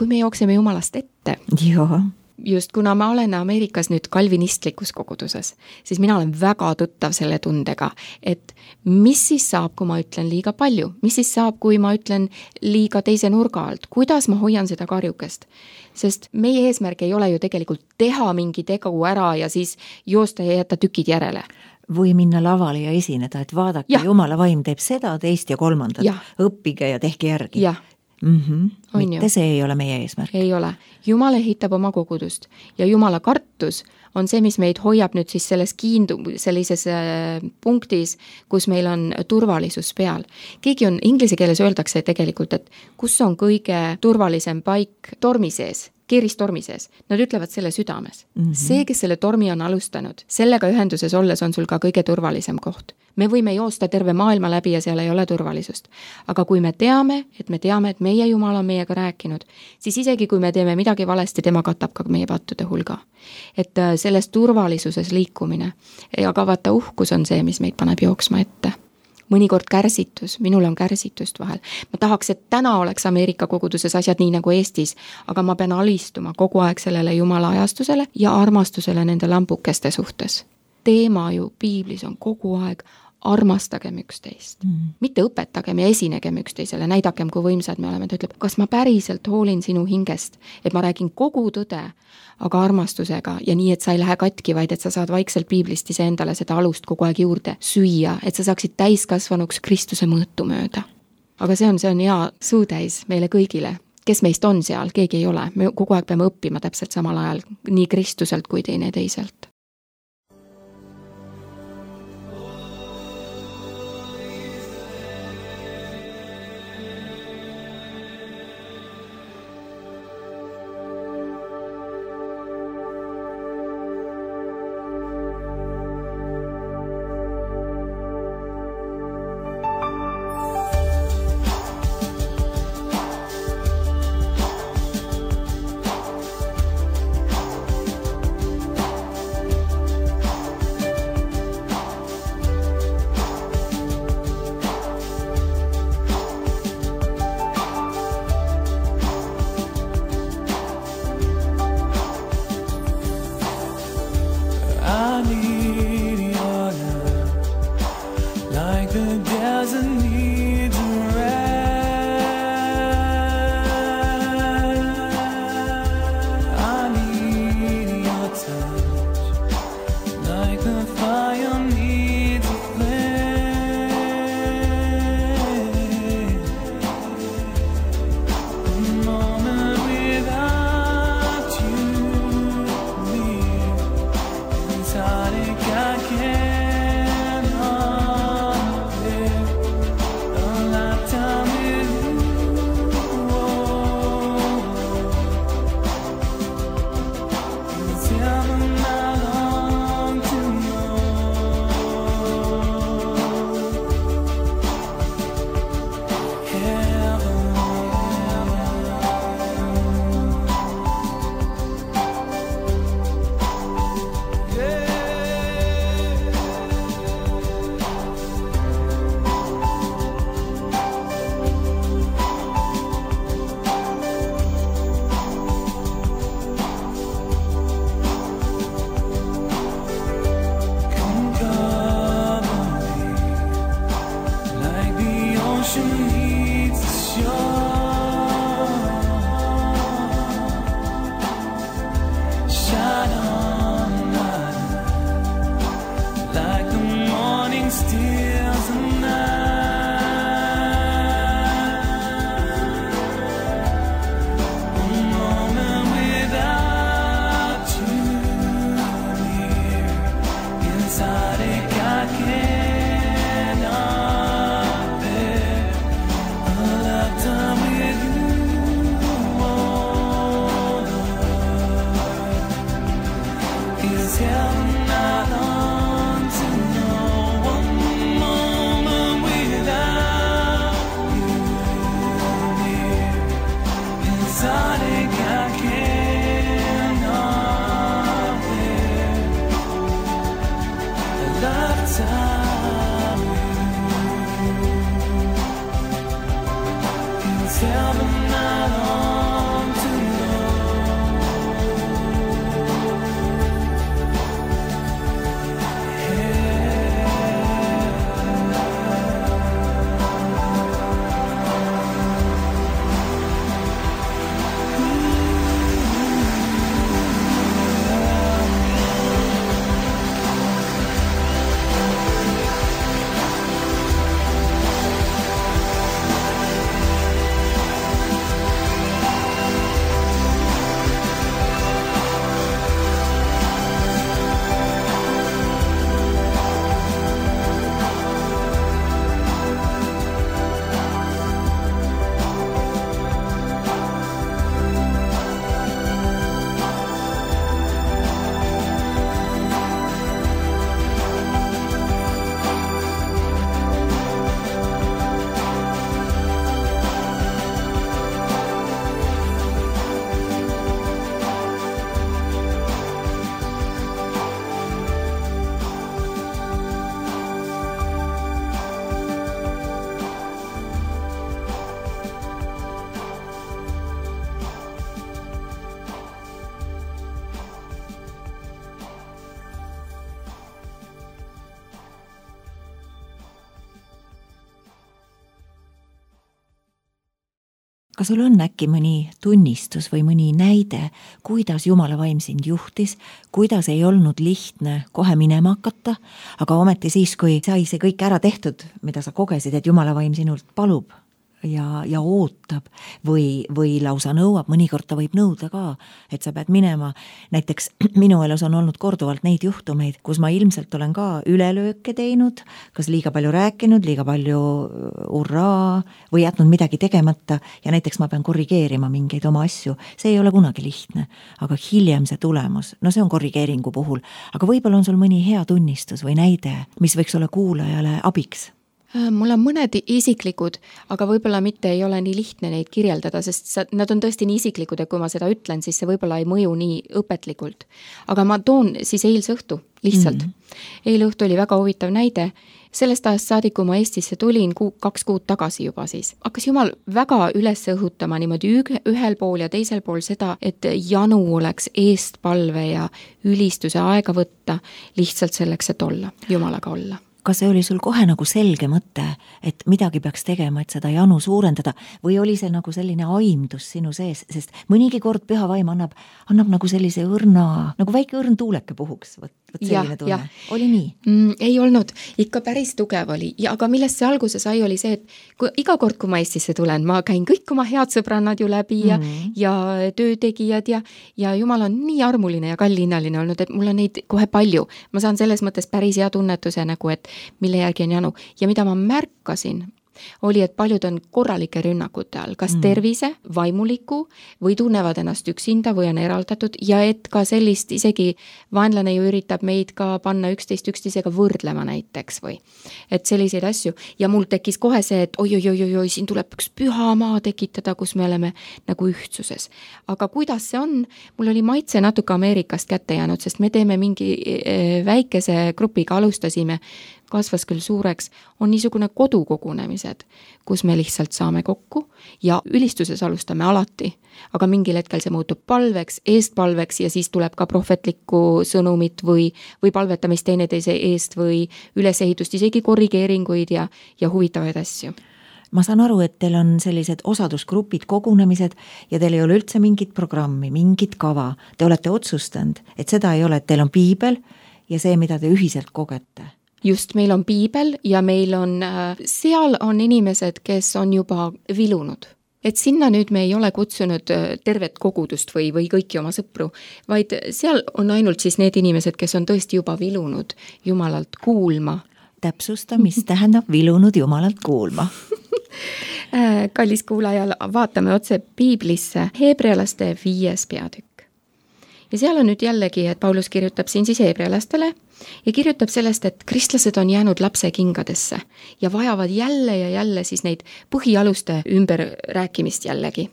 me jookseme Jumalast ette? Joo. Just kuna ma olen Ameerikas nüüd kalvinistlikus koguduses, siis mina olen väga tuttav selle tundega, et mis siis saab, kui ma ütlen liiga palju, mis siis saab, kui ma ütlen liiga teise nurga alt, kuidas ma hoian seda karjukest, sest meie eesmärk ei ole ju tegelikult teha mingi tegu ära ja siis joosta ja jätta tükid järele. Või minna lavale ja esineda, et vaadake, Jumala vaim teeb seda, teist ja kolmandat, õppige ja tehke järgi. Jah. Mitte see ei ole meie eesmärk. Ei ole. Jumal ehitab oma kogudust ja Jumala kartus on see, mis meid hoiab nüüd siis sellises punktis, kus meil on turvalisus peal. Keegi on, inglise keeles öeldakse tegelikult, et kus on kõige turvalisem paik tormi sees, keeristormi sees. Nad ütlevad selle südames. See, kes selle tormi on alustanud, sellega ühenduses olles on sul ka kõige turvalisem koht. Me võime joosta terve maailma läbi ja seal ei ole turvalisust. Aga kui me teame, et meie Jumal on meiega rääkinud, siis isegi kui me teeme midagi valesti, tema katab ka meie pattude hulga. Et selles turvalisuses liikumine ja ka vaata uhkus on see, mis meid paneb jooksma ette. Mõnikord kärsitus, minul on kärsitust vahel. Ma tahaks, et täna oleks Ameerika koguduses asjad nii nagu Eestis, aga ma pean alistuma kogu aeg sellele Jumala ajastusele ja armastusele nende lampukeste suhtes. Teema ju piiblis on kogu aeg armastagem üksteist. Mitte õpetagem ja esinegem üksteisele, näidakem, kui võimsad me oleme. Ta ütleb, kas ma päriselt hoolin sinu hingest, et ma räägin kogu tõde, aga armastusega ja nii, et sa ei lähe katki, vaid et sa saad vaikselt piiblist ise endale seda alust kogu aeg juurde süüa, et sa saaksid täiskasvanuks Kristuse mõõtu mööda. Aga see on hea suutäis meile kõigile. Kes meist on seal, keegi ei ole. Me kogu aeg peame õppima täpselt samal ajal nii Kristuselt kui teiselt. Tell me not on too Kas sul on äkki mõni tunnistus või mõni näide, kuidas Jumala vaim sind juhtis, kuidas ei olnud lihtne kohe minema hakata, aga ometi siis, kui sai see kõik ära tehtud, mida sa kogesid, et Jumala vaim sinult palub ja ootab või lausa nõuab, mõnikord ta võib nõuda ka, et sa pead minema. Näiteks minu elus on olnud korduvalt neid juhtumeid, kus ma ilmselt olen ka ülelööke teinud, kas liiga palju rääkinud, liiga palju urraa või jätnud midagi tegemata ja näiteks ma pean korrigeerima mingeid oma asju. See ei ole kunagi lihtne, aga hiljem see tulemus, no see on korrigeeringu puhul, aga võib-olla on sul mõni hea tunnistus või näide, mis võiks olla kuulajale abiks? Mul on mõned isiklikud, aga võib-olla mitte ei ole nii lihtne neid kirjeldada, sest nad on tõesti nii isiklikud, et kui ma seda ütlen, siis see võib-olla ei mõju nii õpetlikult. Aga ma toon siis eilse õhtu lihtsalt. Eile õhtu oli väga huvitav näide. Sellest ajast saadik, kui ma Eestisse tulin 2 kuud tagasi juba siis, hakkas Jumal väga üles õhutama niimoodi ühel pool ja teisel pool seda, et janu oleks eestpalve ja ülistuse aega võtta lihtsalt selleks, et olla, Jumalaga olla. Kas see oli sul kohe nagu selge mõte, et midagi peaks tegema, et seda janu suurendada või oli see nagu selline aimdus sinu sees, sest mõnigi kord püha vaim annab nagu sellise õrna, nagu väike õrn tuuleke puhuks, võt selline tunne. Oli nii? Ei olnud, ikka päris tugev oli, aga millest see alguse sai, oli see, et iga kord, kui ma Eestisse tulen, ma käin kõik oma head sõbrannad ju läbi ja töötegijad ja Jumal on nii armuline ja kallinnaline olnud, et mul on neid kohe palju. Ma saan selles mõttes päris hea tunnetuse nagu, et mille järgi on janu. Ja mida ma märkasin, oli, et paljud on korralike rünnakute all, kas tervise, vaimuliku või tunnevad ennast üksinda või on eraldatud ja et ka sellist isegi vaenlane ju üritab meid ka panna üksteisega võrdlema näiteks või et selliseid asju ja mul tekkis kohe see, et oi, siin tuleb üks püha maa tekitada, kus me oleme nagu ühtsuses. Aga kuidas see on? Mul oli maitse natuke Ameerikast kätte jäänud, sest me teeme mingi väikese grupiga alustasime, kasvas küll suureks, on niisugune kodukogunemised, kus me lihtsalt saame kokku ja ülistuses alustame alati, aga mingil hetkel see muutub palveks, eestpalveks ja siis tuleb ka prohvetlikku sõnumit või palvetamist teineteise eest või ülesehitust, isegi korrigeeringuid ja huvitavaid asju. Ma saan aru, et teil on sellised osadusgrupid, kogunemised ja teil ei ole üldse mingit programmi, mingit kava. Te olete otsustanud, et seda ei ole, et teil on piibel ja see, mida te ühiselt kogete. Just, meil on piibel ja meil on, seal on inimesed, kes on juba vilunud. Et sinna nüüd me ei ole kutsunud tervet kogudust või kõiki oma sõpru, vaid seal on ainult siis need inimesed, kes on tõesti juba vilunud Jumalalt kuulma. Täpsusta, mis tähendab vilunud Jumalalt kuulma? Kallis kuulajal, vaatame otse piiblisse Heebrealaste 5. peatükk. Ja seal on nüüd jällegi, et Paulus kirjutab siin siis heebrealastele ja kirjutab sellest, et kristlased on jäänud lapse kingadesse ja vajavad jälle siis neid põhialuste ümber rääkimist jällegi.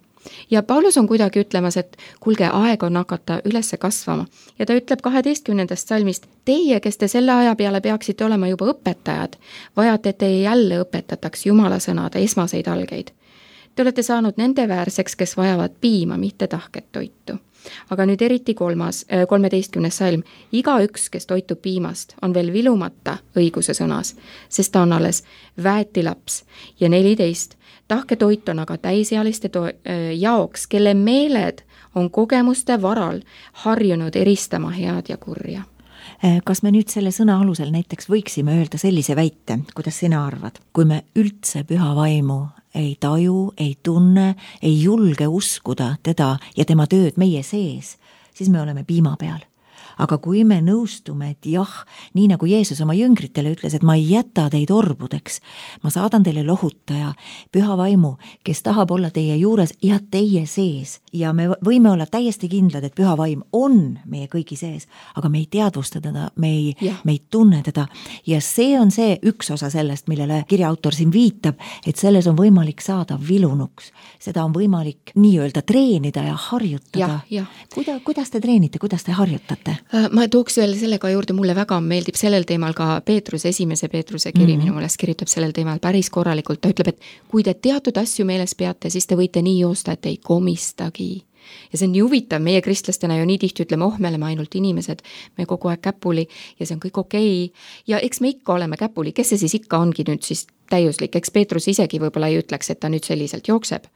Ja Paulus on kuidagi ütlemas, et kuulge, aeg on hakata ülesse kasvama. Ja ta ütleb 12. salmist, teie, kes te selle aja peale peaksite olema juba õpetajad, vajate, et teie jälle õpetataks Jumala sõnade esmaseid algeid. Te olete saanud nende väärseks, kes vajavad piima, mitte tahket toitu. Aga nüüd eriti 13. salm. Igaüks, kes toitub piimast, on veel vilumata õiguse sõnas, sest ta on alles väetilaps. Ja 14. Tahke toit on aga täisealiste jaoks, kelle meeled on kogemuste varal harjunud eristama head ja kurja. Kas me nüüd selle sõna alusel näiteks võiksime öelda sellise väite, kuidas sina arvad? Kui me üldse püha vaimu ei taju, ei tunne, ei julge uskuda teda ja tema tööd meie sees, siis me oleme piima peal. Aga kui me nõustume, et jah, nii nagu Jeesus oma jüngritele ütles, et ma ei jäta teid orbudeks, ma saadan teile lohutaja, püha vaimu, kes tahab olla teie juures ja teie sees. Ja me võime olla täiesti kindlad, et püha vaim on meie kõigi sees, aga me ei teadvusta teda, me ei tunne teda. Ja see on see üks osa sellest, millele kirja autor siin viitab, et selles on võimalik saada vilunuks. Seda on võimalik nii-öelda treenida ja harjutada. Kuidas te treenite, kuidas te harjutate? Ma tooks veel sellega juurde, mulle väga meeldib sellel teemal ka esimese Peetruse kiri minu meelest kirjutab sellel teemal päris korralikult. Ta ütleb, et kui te teatud asju meeles peate, siis te võite nii joosta, et ei komistagi. Ja see on nii huvitav, meie kristlastena ju nii tihti ütleme, me oleme ainult inimesed, me kogu aeg käpuli ja see on kõik okei. Ja eks me ikka oleme käpuli, kes see siis ikka ongi nüüd siis täiuslik, eks Peetrus isegi võib-olla ei ütleks, et ta nüüd selliselt jookseb.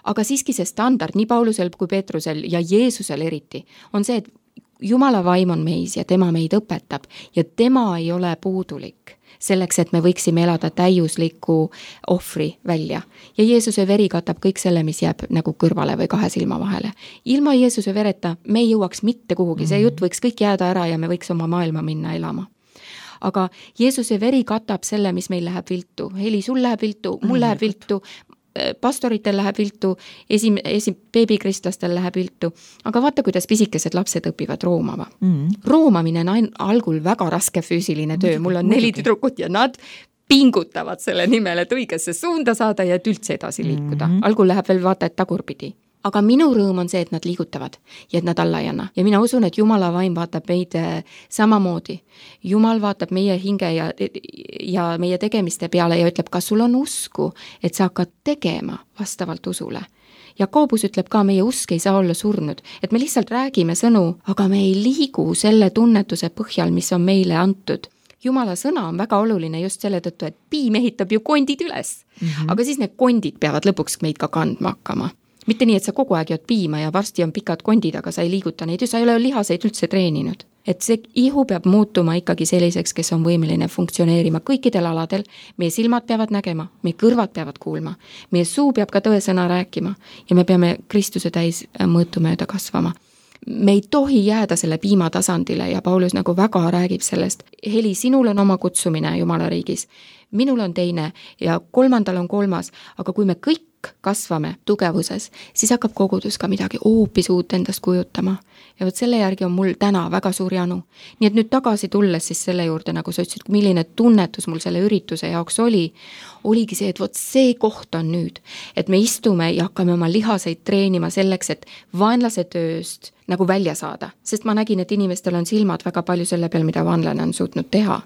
Aga siiski see standard nii Paulusel kui Peetrusel ja Jeesusel eriti on see, et Jumala vaim on meis ja tema meid õpetab ja tema ei ole puudulik selleks, et me võiksime elada täiusliku ohvri välja. Ja Jeesuse veri katab kõik selle, mis jääb nagu kõrvale või kahe silma vahele. Ilma Jeesuse vereta me ei jõuaks mitte kuhugi, see jutt võiks kõik jääda ära ja me võiks oma maailma minna elama. Aga Jeesuse veri katab selle, mis meil läheb viltu. Heli, sul läheb viltu, mul läheb viltu, pastoritel läheb viltu, beebikristlastel läheb viltu, aga vaata, kuidas pisikesed lapsed õpivad roomama. Roomamine on algul väga raske füüsiline töö, mul on 4 tüdrukut ja nad pingutavad selle nimel, et õigesse suunda saada ja et üldse edasi liikuda. Algul läheb veel vaata, et tagurpidi. Aga minu rõõm on see, et nad liigutavad ja et nad alla ei anna. Ja mina usun, et Jumala vaim vaatab meid samamoodi. Jumal vaatab meie hinge ja meie tegemiste peale ja ütleb, kas sul on usku, et sa hakkad tegema vastavalt usule. Jakobus ütleb ka, meie usk ei saa olla surnud, et me lihtsalt räägime sõnu, aga me ei liigu selle tunnetuse põhjal, mis on meile antud. Jumala sõna on väga oluline just selle tõttu, et piim ehitab ju kondid üles. Aga siis need kondid peavad lõpuks meid ka kandma hakkama. Mitte nii, et sa kogu aeg jood piima ja varsti on pikad kondid, aga sa ei liiguta neid ja sa ei ole lihaseid üldse treeninud. Et see ihu peab muutuma ikkagi selliseks, kes on võimeline funktsioneerima kõikidel aladel. Meie silmad peavad nägema, meie kõrvad peavad kuulma, meie suu peab ka tõesõna rääkima ja me peame Kristuse täis mõõtu mööda kasvama. Me ei tohi jääda selle piima tasandile ja Paulus nagu väga räägib sellest. Heli, sinul on oma kutsumine Jumala riigis, minul on teine ja 3. on 3, aga kui me kõik kasvame tugevuses, siis hakkab kogudus ka midagi hoopis uut endast kujutama. Ja võt selle järgi on mul täna väga suur janu. Nii et nüüd tagasi tulles siis selle juurde, nagu sa ütlesid, milline tunnetus mul selle ürituse jaoks oligi see, et võt see koht on nüüd, et me istume ja hakkame oma lihaseid treenima selleks, et vaenlase tööst nagu välja saada. Sest ma nägin, et inimestel on silmad väga palju selle peal, mida vaenlane on suutnud teha.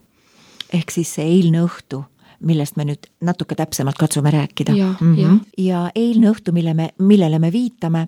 Ehk siis see eilne õhtu, millest me nüüd natuke täpsemalt katsume rääkida. Ja eilne õhtu, millele me viitame,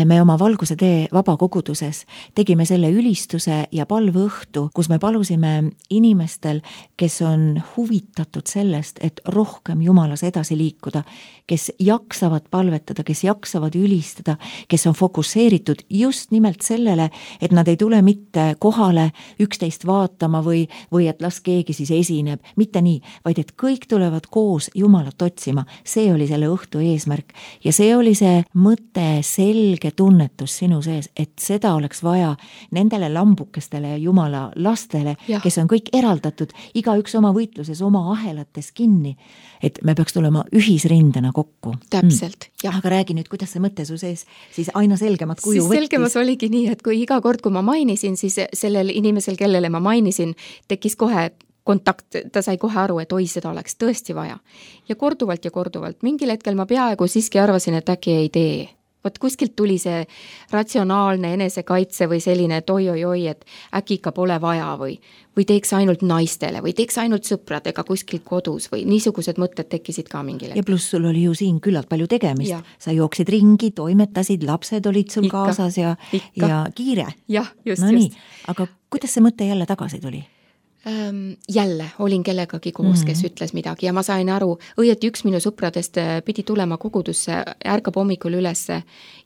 me oma Valguse tee vabakoguduses tegime selle ülistuse ja palveõhtu, kus me palusime inimestel, kes on huvitatud sellest, et rohkem Jumalas edasi liikuda, kes jaksavad palvetada, kes jaksavad ülistada, kes on fokusseeritud just nimelt sellele, et nad ei tule mitte kohale 11 vaatama või et las keegi siis esineb, mitte nii, vaid et kõik tulevad koos Jumalat otsima. See oli selle õhtu eesmärk ja see oli see mõte, selge tunnetus sinu sees, et seda oleks vaja nendele lambukestele ja Jumala lastele, kes on kõik eraldatud, igaüks oma võitluses, oma ahelates kinni, et me peaks tulema ühisrindena kokku. Täpselt, jah. Aga räägi nüüd, kuidas see mõte su sees siis aina selgemat kuju võttis? Selgemas oligi nii, et kui iga kord, kui ma mainisin, siis sellel inimesel, kellele ma mainisin, tekkis kohe kontakt, ta sai kohe aru, et oi, seda oleks tõesti vaja. Ja korduvalt, mingil hetkel ma peaaegu siiski arvasin, et äkki ei tee. vot kuskilt tuli see ratsionaalne enesekaitse või selline, et oi-oi-oi, et äkki ikka pole vaja või teeks ainult naistele või teeks ainult sõpradega kuskil kodus või niisugused mõtted tekkisid ka mingil ja pluss sul oli ju siin küllalt palju tegemist. Ja. Sa jooksid ringi, toimetasid, lapsed olid sul Ikka, kaasas ja kiire. Jah, just, no just. nii, aga kuidas see mõte jälle tagasi tuli? Jälle olin kellegagi koos, kes ütles midagi ja ma sain aru, õieti üks minu sõpradest pidi tulema kogudusse, ärkab hommikul ülesse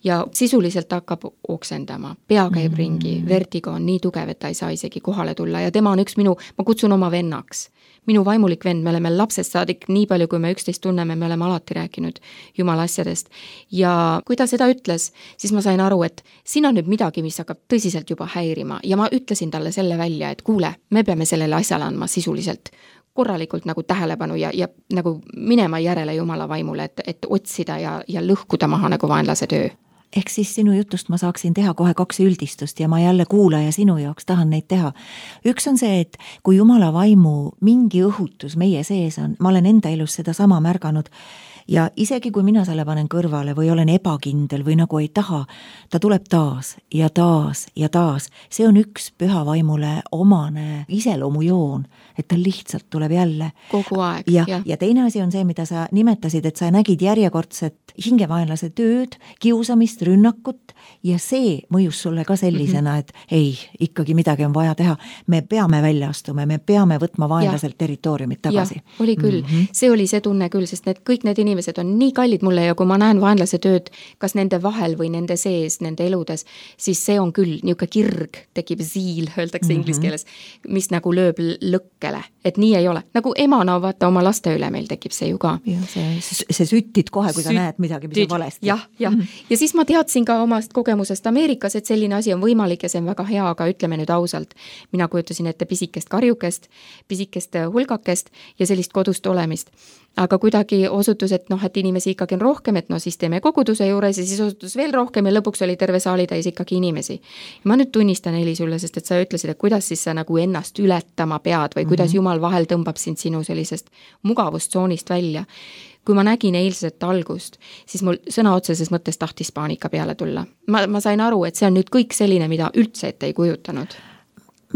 ja sisuliselt hakkab oksendama. Pea käib ringi, vertigo on nii tugev, et ta ei saa isegi kohale tulla ja tema on üks ma kutsun oma vennaks. Minu vaimulik vend, me oleme lapsest saadik nii palju, kui me üksteist tunneme, me oleme alati rääkinud jumala asjadest. Ja kui ta seda ütles, siis ma sain aru, et siin on nüüd midagi, mis hakkab tõsiselt juba häirima ja ma ütlesin talle selle välja, et kuule, me peame sellele asjale andma sisuliselt korralikult nagu tähelepanu ja nagu minema järele jumala vaimule, et otsida ja lõhkuda maha nagu vaenlase töö. Ehk siis sinu jutust ma saaksin teha kohe 2 üldistust ja ma jälle kuulaja sinu jaoks tahan neid teha. Üks on see, et kui jumala vaimu mingi õhutus meie sees on, ma olen enda elus seda sama märganud ja isegi kui mina selle panen kõrvale või olen ebakindel või nagu ei taha, ta tuleb taas ja taas ja taas. See on üks püha vaimule omane iseloomujoon, et ta lihtsalt tuleb jälle. Kogu aeg. Ja teine asi on see, mida sa nimetasid, et sa nägid järjekordset hingevaenlase tööd, kiusamist, rünnakut ja see mõjus sulle ka sellisena, et ei, ikkagi midagi on vaja teha. Me peame välja astuma, me peame võtma vaenlaselt territooriumit tagasi. Ja, oli küll. See oli see tunne küll, sest kõik need inimesed on nii kallid mulle ja kui ma näen vaenlase tööd, kas nende vahel või nende sees, nende eludes, siis see on küll niisugune kirg, tekib ziil, öeldakse inglise keeles, mis nagu lööb lõkkele, et nii ei ole. Nagu emana vaata oma laste üle meil tekib see ju ka. See süttid kohe, kui sa näed midagi, mis on valesti. Ja siis ma teadsin ka omast kogemusest Ameerikas, et selline asi on võimalik ja see on väga hea, aga ütleme nüüd ausalt, mina kujutasin ette pisikest karjukest, pisikest hulgakest ja sellist kodust olemist. Aga kuidagi osutus, et et inimesi ikkagi on rohkem, et siis teeme koguduse juures ja siis osutus veel rohkem ja lõpuks oli terve saali täis ikkagi inimesi. Ja ma nüüd tunnistan, Heli, sulle, sest et sa ütlesid, et kuidas siis sa nagu ennast ületama pead või kuidas Jumal vahel tõmbab sind sinu sellisest mugavustsoonist välja. Kui ma nägin eilset algust, siis mul sõna otseses mõttes tahtis paanika peale tulla. Ma sain aru, et see on nüüd kõik selline, mida üldse ette ei kujutanud.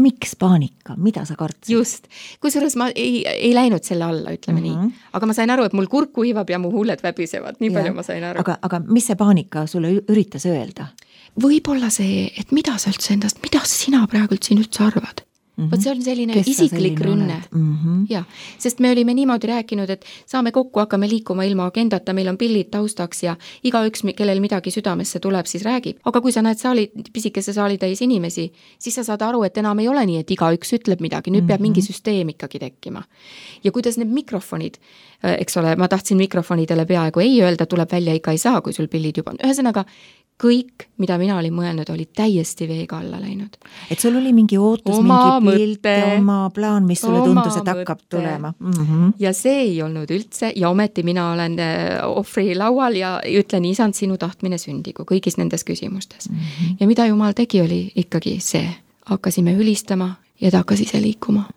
Miks paanika? Mida sa kartsid? Just. Kusjuures ma ei läinud selle alla, ütleme nii. Aga ma sain aru, et mul kurk kuivab ja mu huuled väbisevad. Nii palju ma sain aru. Aga mis see paanika sulle üritas öelda? Võib-olla see, et mida sa üldse endast, mida sina praegult siin üldse arvad? Vot see on selline isiklik rünne. Ja, sest me olime niimoodi rääkinud, et saame kokku, hakkame liikuma ilma agendata, meil on pillid taustaks ja igaüks, kellel midagi südamesse tuleb, siis räägib. Aga kui sa näed pisikese saali täis inimesi, siis sa saad aru, et enam ei ole nii, et igaüks ütleb midagi, nüüd peab mingi süsteem ikkagi tekkima. Ja kuidas need mikrofonid, eks ole, ma tahtsin mikrofonidele peaaegu ei öelda, tuleb välja ikka ei saa, kui sul pillid juba on. Ühesõnaga, kõik, mida mina olin mõelnud, oli täiesti veega alla läinud. Et sul oli mingi ootus, mingi pilt, oma plaan, mis sulle tundus, et hakkab tulema. Ja see ei olnud üldse ja ometi mina olen ohvri laual ja ütlen, isand, sinu tahtmine sündigu kõigis nendes küsimustes. Ja mida Jumal tegi, oli ikkagi see. Hakkasime hülistama ja ta hakkas ise liikuma.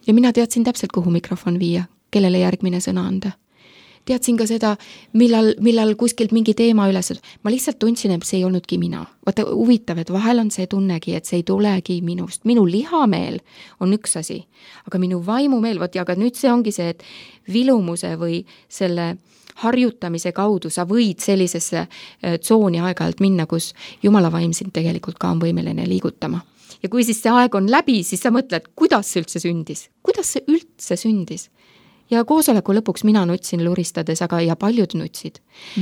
Ja mina teadsin täpselt, kuhu mikrofon viia, kellele järgmine sõna anda. Teadsin ka seda, millal kuskilt mingi teema üles. Ma lihtsalt tundsin, et see ei olnudki mina. Vaata, huvitav, et vahel on see tunnegi, et see ei tulegi minust. Minu lihameel on üks asi, aga minu vaimumeel, aga nüüd see ongi see, et vilumuse või selle harjutamise kaudu sa võid sellisesse tsooni aeg-ajalt minna, kus Jumala vaim sind tegelikult ka on võimeline liigutama. Ja kui siis see aeg on läbi, siis sa mõtled, kuidas see üldse sündis? Kuidas see üldse sündis? Ja koosoleku lõpuks mina nutsin luristades, aga ja paljud nutsid.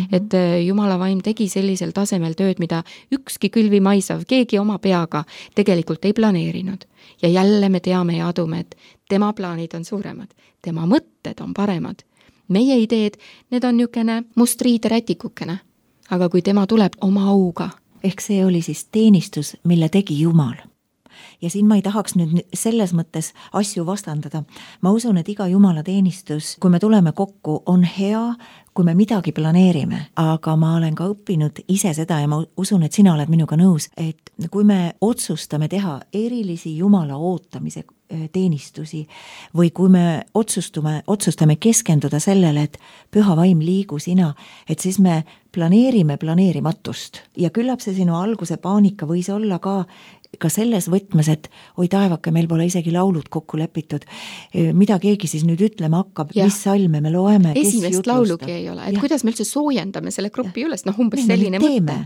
Et Jumala vaim tegi sellisel tasemel tööd, mida ükski külvimaisav, keegi oma peaga tegelikult ei planeerinud. Ja jälle me teame ja adume, et tema plaanid on suuremad, tema mõtted on paremad. Meie ideed, need on niisugune mustriide rätikukene. Aga kui tema tuleb oma auga. Ehk see oli siis teenistus, mille tegi Jumal. ja siin ma ei tahaks nüüd selles mõttes asju vastandada. Ma usun, et iga jumalateenistus, kui me tuleme kokku, on hea, kui me midagi planeerime, aga ma olen ka õppinud ise seda ja ma usun, et sina oled minuga nõus, et kui me otsustame teha erilisi Jumala ootamise teenistusi või kui me otsustame keskenduda sellele, et püha vaim liigu sina, et siis me planeerime planeerimatust ja küllap see sinu alguse paanika võis olla ka selles võtmes, et oi taevake, meil pole isegi laulud kokku lepitud, mida keegi siis nüüd ütlema hakkab, mis salme me loeme, kes esimest laulugi ei ole, et kuidas me üldse soojendame selle grupi üles, umbes selline mõte.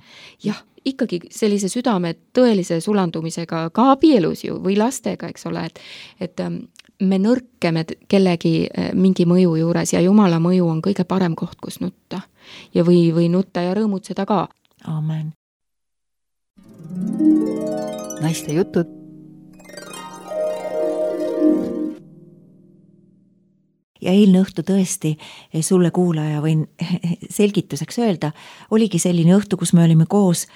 Jah, ikkagi sellise südame tõelise sulandumisega ka abielus ju või lastega, eks ole, et me nõrkeme kellegi mingi mõju juures ja Jumala mõju on kõige parem koht, kus nutta ja või nutta ja rõõmutseda ka. Amen. Naiste jutud. Ja eilne õhtu tõesti sulle kuulaja võin selgituseks öelda, oligi selline õhtu, kus me olime koos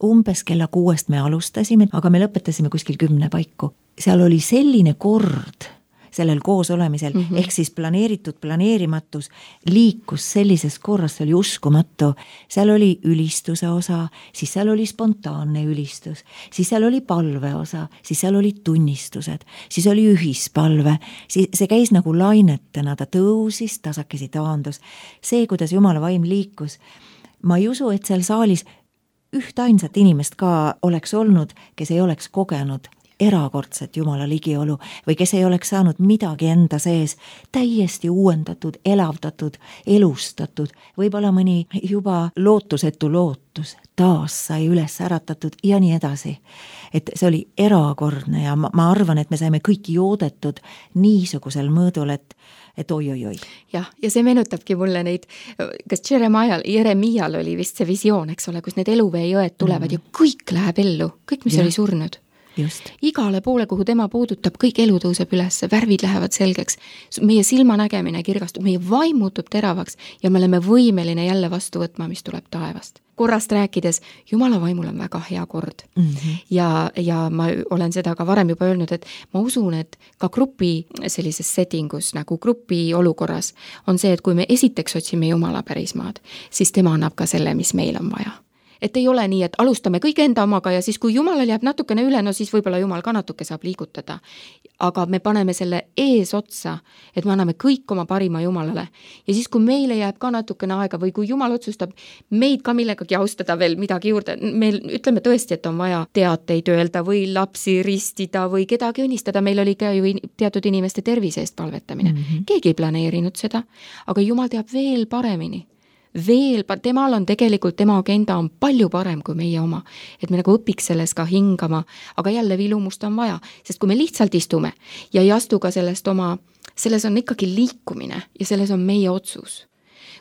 umbes kella 6 me alustasime, aga me lõpetasime kuskil 10 paiku. Seal oli selline kord sellel koos olemisel, ehk siis planeeritud planeerimatus liikus sellises korras, see oli uskumatu. Seal oli ülistuse osa, siis seal oli spontaanne ülistus, siis seal oli palve osa, siis seal oli tunnistused, siis oli ühispalve, siis see käis nagu lainetena, ta tõusis, tasakesi taandus. See, kuidas Jumala vaim liikus, ma ei usu, et seal saalis ühtainsat inimest ka oleks olnud, kes ei oleks kogenud erakordset Jumala ligiolu või kes ei oleks saanud midagi enda sees täiesti uuendatud, elavdatud, elustatud, võib-olla mõni juba lootusetu lootus taas sai üles äratatud ja nii edasi. Et see oli erakordne ja ma arvan, et me saime kõik joodetud niisugusel mõõdul, et oi. Ja see meenutabki mulle neid, kas Jeremial oli vist see visioon, eks ole, kus need eluveejõed tulevad ja kõik läheb ellu, kõik, mis oli surnud. Just. Igale poole, kuhu tema puudutab, kõik elu tõuseb üles, värvid lähevad selgeks, meie silmanägemine kirgastub, meie vaim muutub teravaks ja me oleme võimeline jälle vastu võtma, mis tuleb taevast. Korrast rääkides, Jumala vaimul on väga hea kord. Ja ma olen seda ka varem juba öelnud, et ma usun, et ka grupi sellises settingus, nagu grupi olukorras on see, et kui me esiteks otsime Jumala pärismaad, siis tema annab ka selle, mis meil on vaja. Et ei ole nii, et alustame kõik enda omaga ja siis kui Jumalal jääb natukene üle, no siis võib-olla Jumal ka natuke saab liigutada. Aga me paneme selle ees otsa, et me anname kõik oma parima Jumalale. Ja siis, kui meile jääb ka natukene aega või kui Jumal otsustab meid ka millegagi austada veel midagi juurde, meil ütleme tõesti, et on vaja teateid öelda või lapsi ristida või kedagi õnnistada, meil oli ka ju teatud inimeste tervise eest palvetamine. Keegi ei planeerinud seda, aga Jumal teab veel paremini. Temal on tegelikult, tema agenda on palju parem kui meie oma, et me nagu õpiks selles ka hingama, aga jälle vilumust on vaja, sest kui me lihtsalt istume ja ei astu ka selles on ikkagi liikumine ja selles on meie otsus.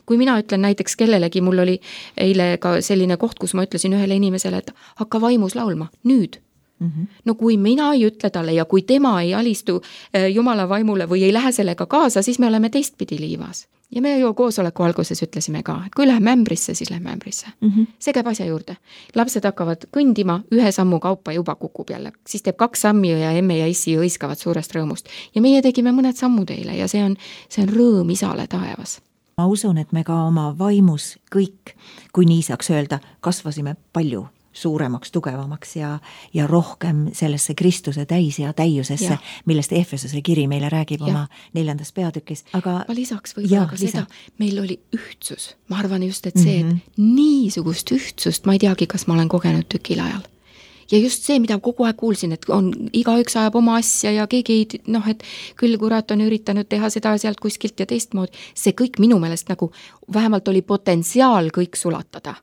Kui mina ütlen näiteks kellelegi, mul oli eile ka selline koht, kus ma ütlesin ühele inimesele, et hakka vaimus laulma, nüüd. No kui mina ei ütle talle ja kui tema ei alistu Jumala vaimule või ei lähe sellega kaasa, siis me oleme teistpidi liivas. Ja me ju koosoleku alguses ütlesime ka, et kui läheme ämbrisse, siis läheme ämbrisse. See käib asja juurde. Lapsed hakkavad kõndima, ühe sammu kaupa juba kukub jälle. Siis teeb 2 sammi ja emme ja issi hõiskavad suurest rõõmust. Ja meie tegime mõned sammud eile ja see on rõõm isale taevas. Ma usun, et me ka oma vaimus kõik, kui nii saaks öelda, kasvasime palju suuremaks, tugevamaks ja rohkem sellesse Kristuse täis ja täiusesse, millest Efesose kiri meile räägib oma 4. peatükis. Aga ma lisaks võib-olla ka seda, meil oli ühtsus. Ma arvan just, et see, et niisugust ühtsust, ma ei teagi, kas ma olen kogenud tükil ajal. Ja just see, mida kogu aeg kuulsin, et igaüks ajab oma asja ja keegi ei, et küll kurat on üritanud teha seda sealt kuskilt ja teistmoodi, see kõik minu meelest nagu vähemalt oli potentsiaal kõik sulatada.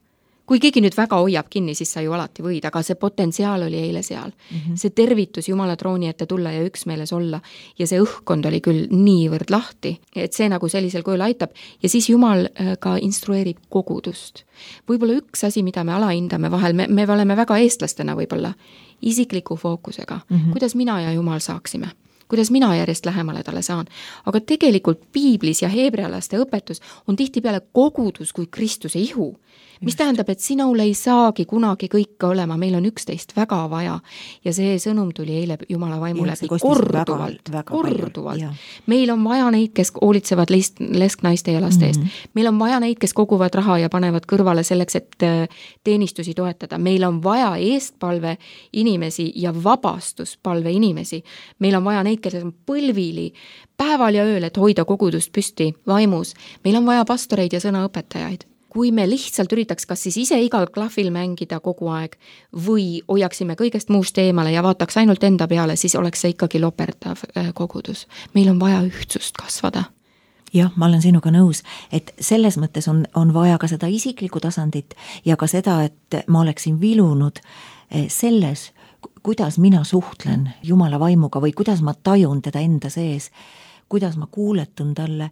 Kui keegi nüüd väga hoiab kinni, siis sa ju alati võid, aga see potentsiaal oli eile seal. See tervitus Jumala trooni ette tulla ja üksmeeles olla ja see õhkkond oli küll niivõrd lahti, et see nagu sellisel kujul aitab ja siis Jumal ka instrueerib kogudust. Võib-olla üks asi, mida me alahindame vahel, me oleme väga eestlastena võib-olla isikliku fookusega, kuidas mina ja Jumal saaksime. kuidas mina järjest lähemale talle saan. Aga tegelikult piiblis ja heebrealaste õpetus on tihtipeale kogudus kui Kristuse ihu, mis tähendab, et sinul ei saagi kunagi kõike olema, meil on üksteist väga vaja ja see sõnum tuli eile Jumala vaimu läbi korduvalt. Meil on vaja neid, kes hoolitsevad lesknaiste ja laste eest. Meil on vaja neid, kes koguvad raha ja panevad kõrvale selleks, et teenistusi toetada. Meil on vaja eestpalve inimesi ja vabastuspalve inimesi. Meil on vaja neid, kes on põlvili päeval ja ööl, et hoida kogudust püsti vaimus. Meil on vaja pastoreid ja sõnaõpetajaid. Kui me lihtsalt üritaks kas siis ise igal klahvil mängida kogu aeg või hoiaksime kõigest muust eemale ja vaataks ainult enda peale, siis oleks see ikkagi loperdav kogudus. Meil on vaja ühtsust kasvada. Jah, ma olen sinuga nõus, et selles mõttes on vaja ka seda isiklikku tasandit ja ka seda, et ma oleksin vilunud selles, kuidas mina suhtlen Jumala vaimuga või kuidas ma tajun teda enda sees, kuidas ma kuuletun talle.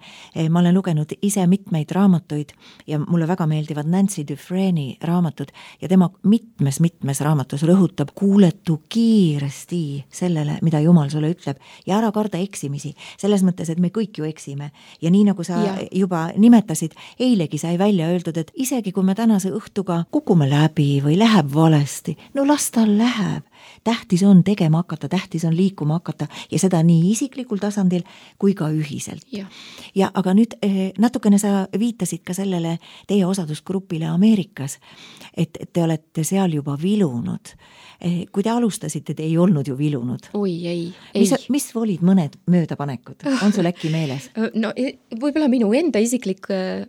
Ma olen lugenud ise mitmeid raamatuid ja mulle väga meeldivad Nancy Dufresne'i raamatud ja tema mitmes raamatus rõhutab, kuuletu kiiresti sellele, mida Jumal sulle ütleb ja ära karda eksimisi. Selles mõttes, et me kõik ju eksime. Ja nii nagu sa juba nimetasid, eilegi sai välja öeldud, et isegi kui me tänase õhtuga kukume läbi või läheb valesti, no las tal läheb. Tähtis on tegema hakata, tähtis on liikuma hakata ja seda nii isiklikul tasandil kui ka ühiselt. Ja aga nüüd natukene sa viitasid ka sellele teie osadusgrupile Ameerikas, et te olete seal juba vilunud. Kui te alustasite, te ei olnud ju vilunud. Oi, ei. Mis olid mõned möödapanekud? On sul äkki meeles? No võib-olla minu enda isiklik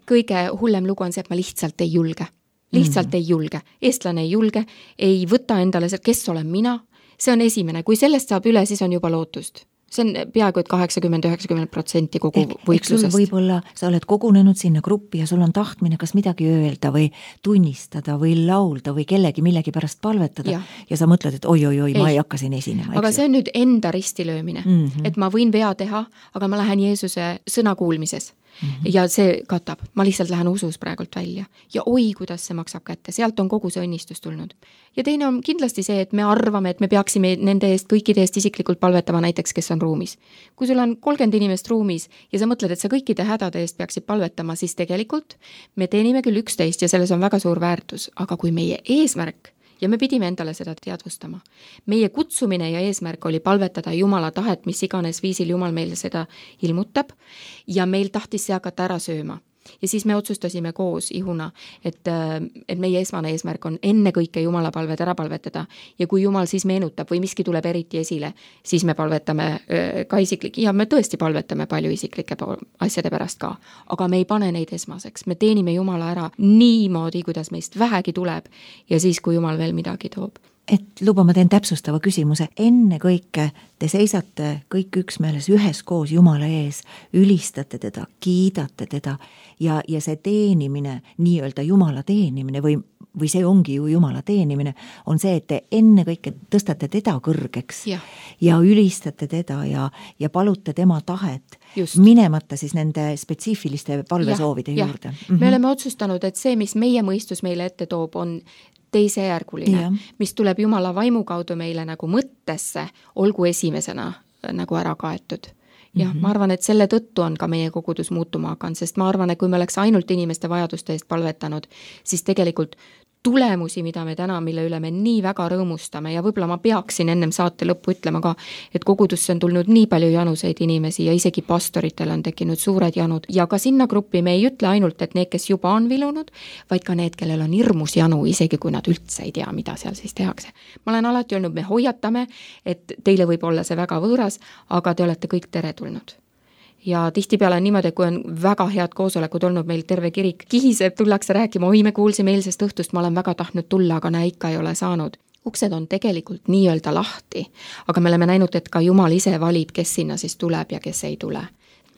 kõige hullem lugu on see, et ma lihtsalt ei julge. Lihtsalt ei julge. Eestlane ei julge, ei võta endale, kes olen mina. See on esimene. Kui sellest saab üle, siis on juba lootust. See on peaaegu et 80-90% kogu võitlusest. Võib-olla sa oled kogunenud sinna gruppi ja sul on tahtmine kas midagi öelda või tunnistada või laulda või millegi pärast palvetada ja sa mõtled, et oi, ma ei hakka siin esinema. Aga see on nüüd enda ristilöömine, et ma võin vea teha, aga ma lähen Jeesuse sõna kuulmises. Ja see katab, ma lihtsalt lähen usus praegult välja ja oi, kuidas see maksab kätte, sealt on kogu see õnnistus tulnud. Ja teine on kindlasti see, et me arvame, et me peaksime nende eest, kõikide eest isiklikult palvetama näiteks, kes on ruumis. Kui sul on 30 inimest ruumis ja sa mõtled, et sa kõikide hädade eest peaksid palvetama, siis tegelikult me teenime küll 11 ja selles on väga suur väärtus, aga kui meie eesmärk ja me pidime endale seda teadvustama. Meie kutsumine ja eesmärk oli palvetada Jumala tahet, mis iganes viisil Jumal meile seda ilmutab ja meil tahtis see hakata ära sööma. Ja siis me otsustasime koos ihuna, et meie esmane eesmärk on enne kõike Jumala palved ära palvetada ja kui Jumal siis meenutab või miski tuleb eriti esile, siis me palvetame ka ja me tõesti palvetame palju isiklike asjade pärast ka, aga me ei pane neid esmaseks, me teenime Jumala ära niimoodi, kuidas meist vähegi tuleb ja siis, kui Jumal veel midagi toob. Et luba, ma teen täpsustava küsimuse. Enne kõike te seisate kõik üksmeeles üheskoos Jumala ees, ülistate teda, kiidate teda ja see teenimine, nii-öelda Jumala teenimine või see ongi ju Jumala teenimine, on see, et te enne kõike tõstate teda kõrgeks ja ülistate teda ja palute tema tahet, minemata siis nende spetsiifiliste palvesoovide juurde. Me oleme otsustanud, et see, mis meie mõistus meile ette toob, on teisejärguline, mis tuleb Jumala vaimu kaudu meile nagu mõttesse, olgu esimesena nagu ära kaetud. Ja ma arvan, et selle tõttu on ka meie kogudus muutuma hakanud, sest ma arvan, et kui me oleks ainult inimeste vajaduste eest palvetanud, siis tegelikult tulemusi, mida me täna, mille üle me nii väga rõõmustame ja võib-olla ma peaksin ennem saate lõppu ütlema ka, et kogudusse on tulnud nii palju januseid inimesi ja isegi pastoritel on tekkinud suured janud ja ka sinna gruppi me ei ütle ainult, et need, kes juba on vilunud, vaid ka need, kellel on hirmus janu, isegi kui nad üldse ei tea, mida seal siis tehakse. Ma olen alati öelnud, me hoiatame, et teile võib olla see väga võõras, aga te olete kõik teretulnud. Ja tihtipeale on niimoodi, kui on väga head koosolekud olnud, meil terve kirik kihiseb, tullakse rääkima, oi, me kuulsime eilsest õhtust, ma olen väga tahtnud tulla, aga näe, ikka ei ole saanud. Uksed on tegelikult nii-öelda lahti, aga me oleme näinud, et ka Jumal ise valib, kes sinna siis tuleb ja kes ei tule.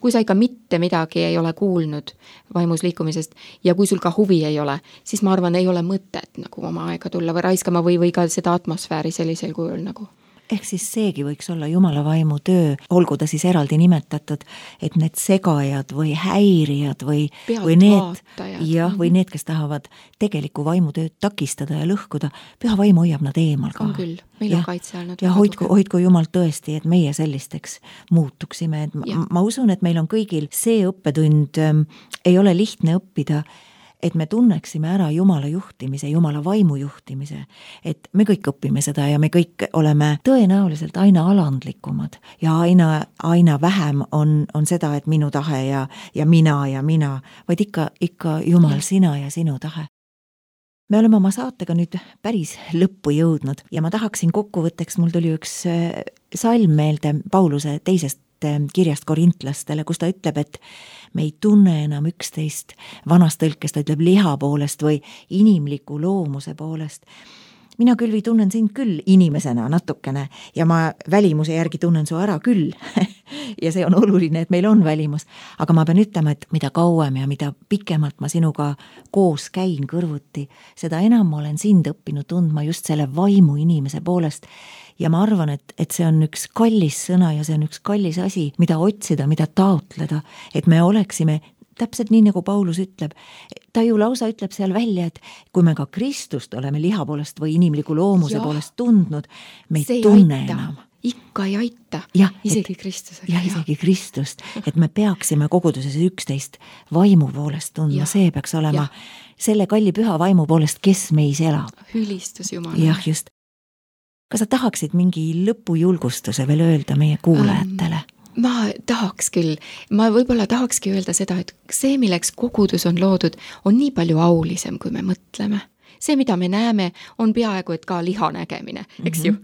Kui sa ikka mitte midagi ei ole kuulnud vaimus liikumisest ja kui sul ka huvi ei ole, siis ma arvan, ei ole mõtet nagu oma aega tulla või raiskama või ka seda atmosfääri sellisel kujul nagu. ehk siis seegi võiks olla Jumala vaimu töö, olgu ta siis eraldi nimetatud, et need segajad või häirijad või need, jah, või need, kes tahavad tegelikku vaimutööd takistada ja lõhkuda, püha vaim hoiab nad eemal ka. On küll, meil on kaitse olnud. Ja hoidku Jumal tõesti, et meie sellisteks muutuksime, et ma usun, et meil on kõigil see õppetund, ei ole lihtne õppida, et me tunneksime ära Jumala juhtimise, Jumala vaimu juhtimise, et me kõik õpime seda ja me kõik oleme tõenäoliselt aina alandlikumad ja aina vähem on seda, et minu tahe ja mina, vaid ikka Jumal, sina ja sinu tahe. Me oleme oma saatega nüüd päris lõppu jõudnud ja ma tahaksin kokkuvõtteks, mul tuli üks salm meelde Pauluse teisest kirjast korintlastele, kus ta ütleb, et me ei tunne enam üksteist, vanas tõlkes ta ütleb liha poolest või inimliku loomuse poolest. Mina, Külvi, tunnen sind küll inimesena natukene ja ma välimuse järgi tunnen su ära küll ja see on oluline, et meil on välimus, aga ma pean ütlema, et mida kauem ja mida pikemalt ma sinuga koos käin kõrvuti, seda enam ma olen sind õppinud tundma just selle vaimu inimese poolest. Ja ma arvan, et see on üks kallis sõna ja see on üks kallis asi, mida otsida, mida taotleda, et me oleksime täpselt nii, nagu Paulus ütleb. Ta ju lausa ütleb seal välja, et kui me ka Kristust oleme liha poolest või inimliku loomuse poolest tundnud, me ei tunne enam. Ikka ei aita, isegi Kristust. Ja isegi Kristust, et me peaksime koguduses üksteist vaimu poolest tundma, see peaks olema selle kalli püha vaimu poolest, kes meis elab. Ülistus Jumala. Jah, just. Kas sa tahaksid mingi lõpujulgustuse veel öelda meie kuulajatele? Ma tahaks küll. Ma võib-olla tahakski öelda seda, et see, milleks kogudus on loodud, on nii palju aulisem, kui me mõtleme. See, mida me näeme, on peaaegu et ka liha nägemine, eks ju?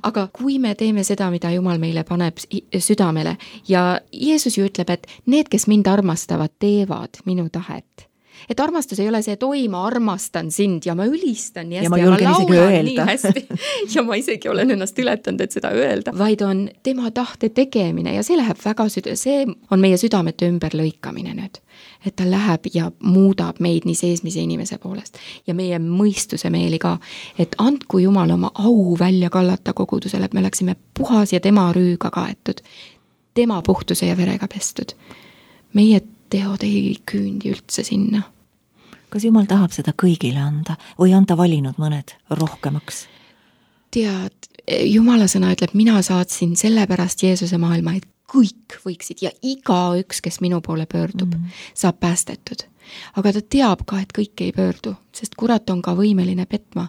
Aga kui me teeme seda, mida Jumal meile paneb südamele ja Jeesus ju ütleb, et need, kes mind armastavad, teevad minu tahet. Et armastus ei ole see, et oi, ma armastan sind ja ma ülistan nii hästi ja ma julgen isegi öelda. Nii hästi ja ma isegi olen ennast ületanud, et seda öelda, vaid on tema tahte tegemine ja see läheb väga see on meie südamete ümberlõikamine nüüd, et ta läheb ja muudab meid nii seesmise inimese poolest ja meie mõistuse meeli ka, et andku Jumal oma au välja kallata kogudusele, et me oleksime puhas ja tema rüüga kaetud, tema puhtuse ja verega pestud. Meie teod ei küündi üldse sinna. Kas Jumal tahab seda kõigile anda või on ta valinud mõned rohkemaks? Tead, Jumala sõna ütleb, mina saatsin sellepärast Jeesuse maailma, et kõik võiksid ja igaüks, kes minu poole pöördub, saab päästetud. Aga ta teab ka, et kõik ei pöördu, sest kurat on ka võimeline petma.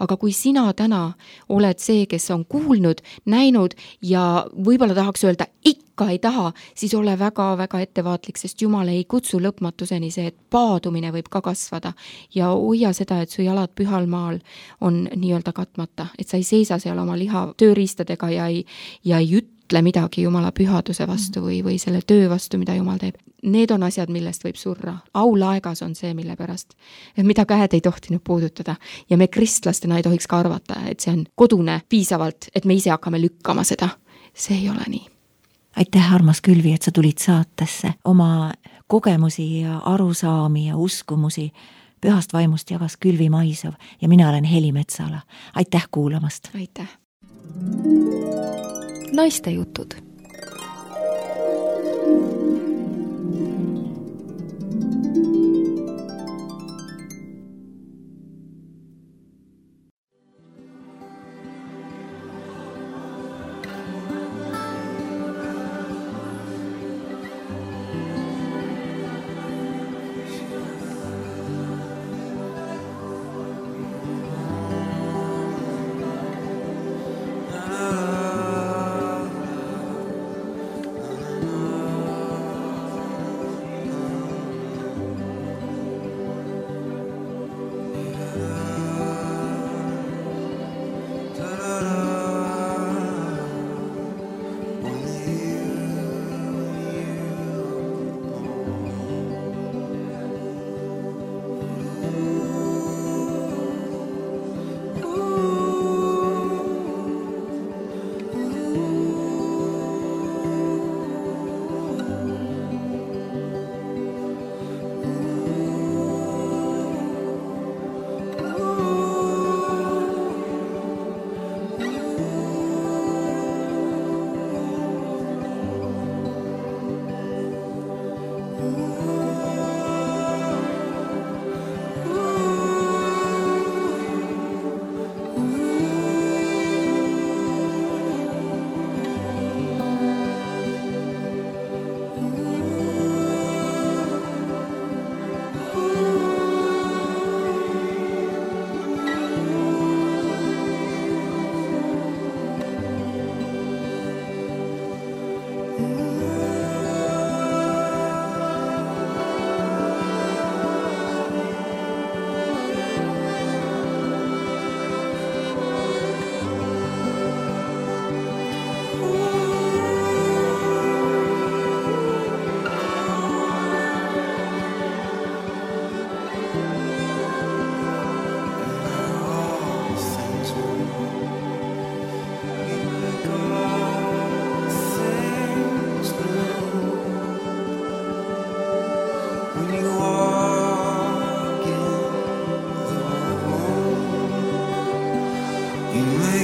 Aga kui sina täna oled see, kes on kuulnud, näinud ja võib-olla tahaks öelda, ikka ei taha, siis ole väga-väga ettevaatlik, sest Jumal ei kutsu lõpmatuseni see, et paadumine võib ka kasvada ja hoia seda, et su jalad pühal maal on nii-öelda katmata, et sa ei seisa seal oma liha tööriistadega ja ei ütle midagi Jumala pühaduse vastu või selle töö vastu, mida Jumal teeb. Need on asjad, millest võib surra. Aulaegas on see, mille pärast, mida käed ei tohtinud puudutada ja me kristlastena ei tohiks ka arvata, et see on kodune piisavalt, et me ise hakkame lükkama seda. See ei ole nii. Aitäh, armas Külvi, et sa tulid saatesse. Oma kogemusi ja arusaami ja uskumusi pühast vaimust jagas Külvi Maisov ja mina olen Heli Metsala. Aitäh kuulamast! Aitäh! Naiste jutud.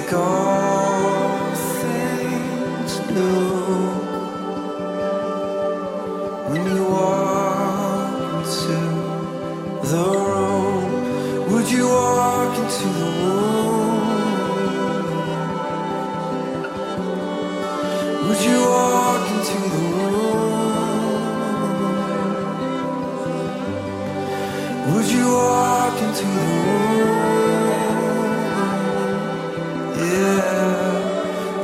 make all things new. When you walk into the room, would you walk into the room? Would you walk into the room? Would you walk into the room? Yeah.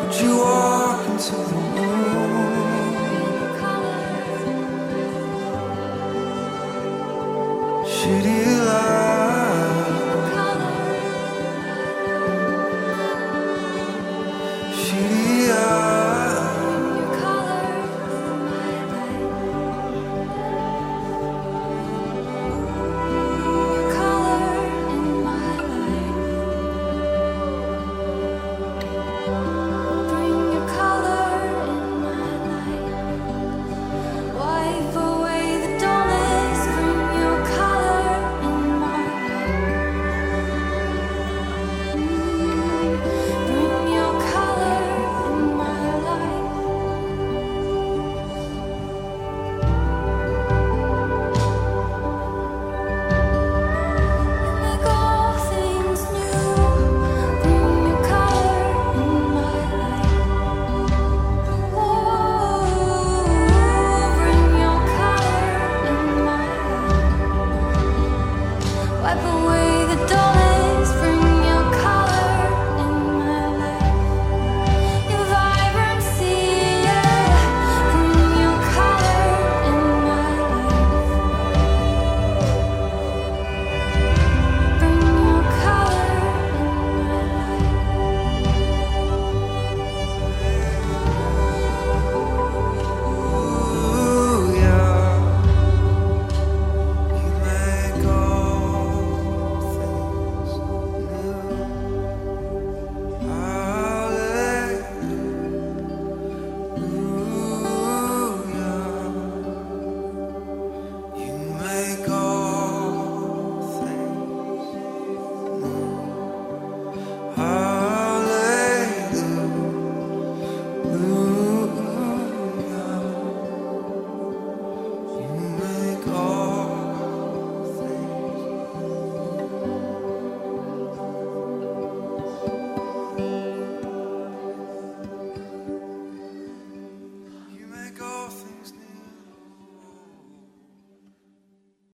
Would you walk into the room? Should you lie? Should you lie? Wipe away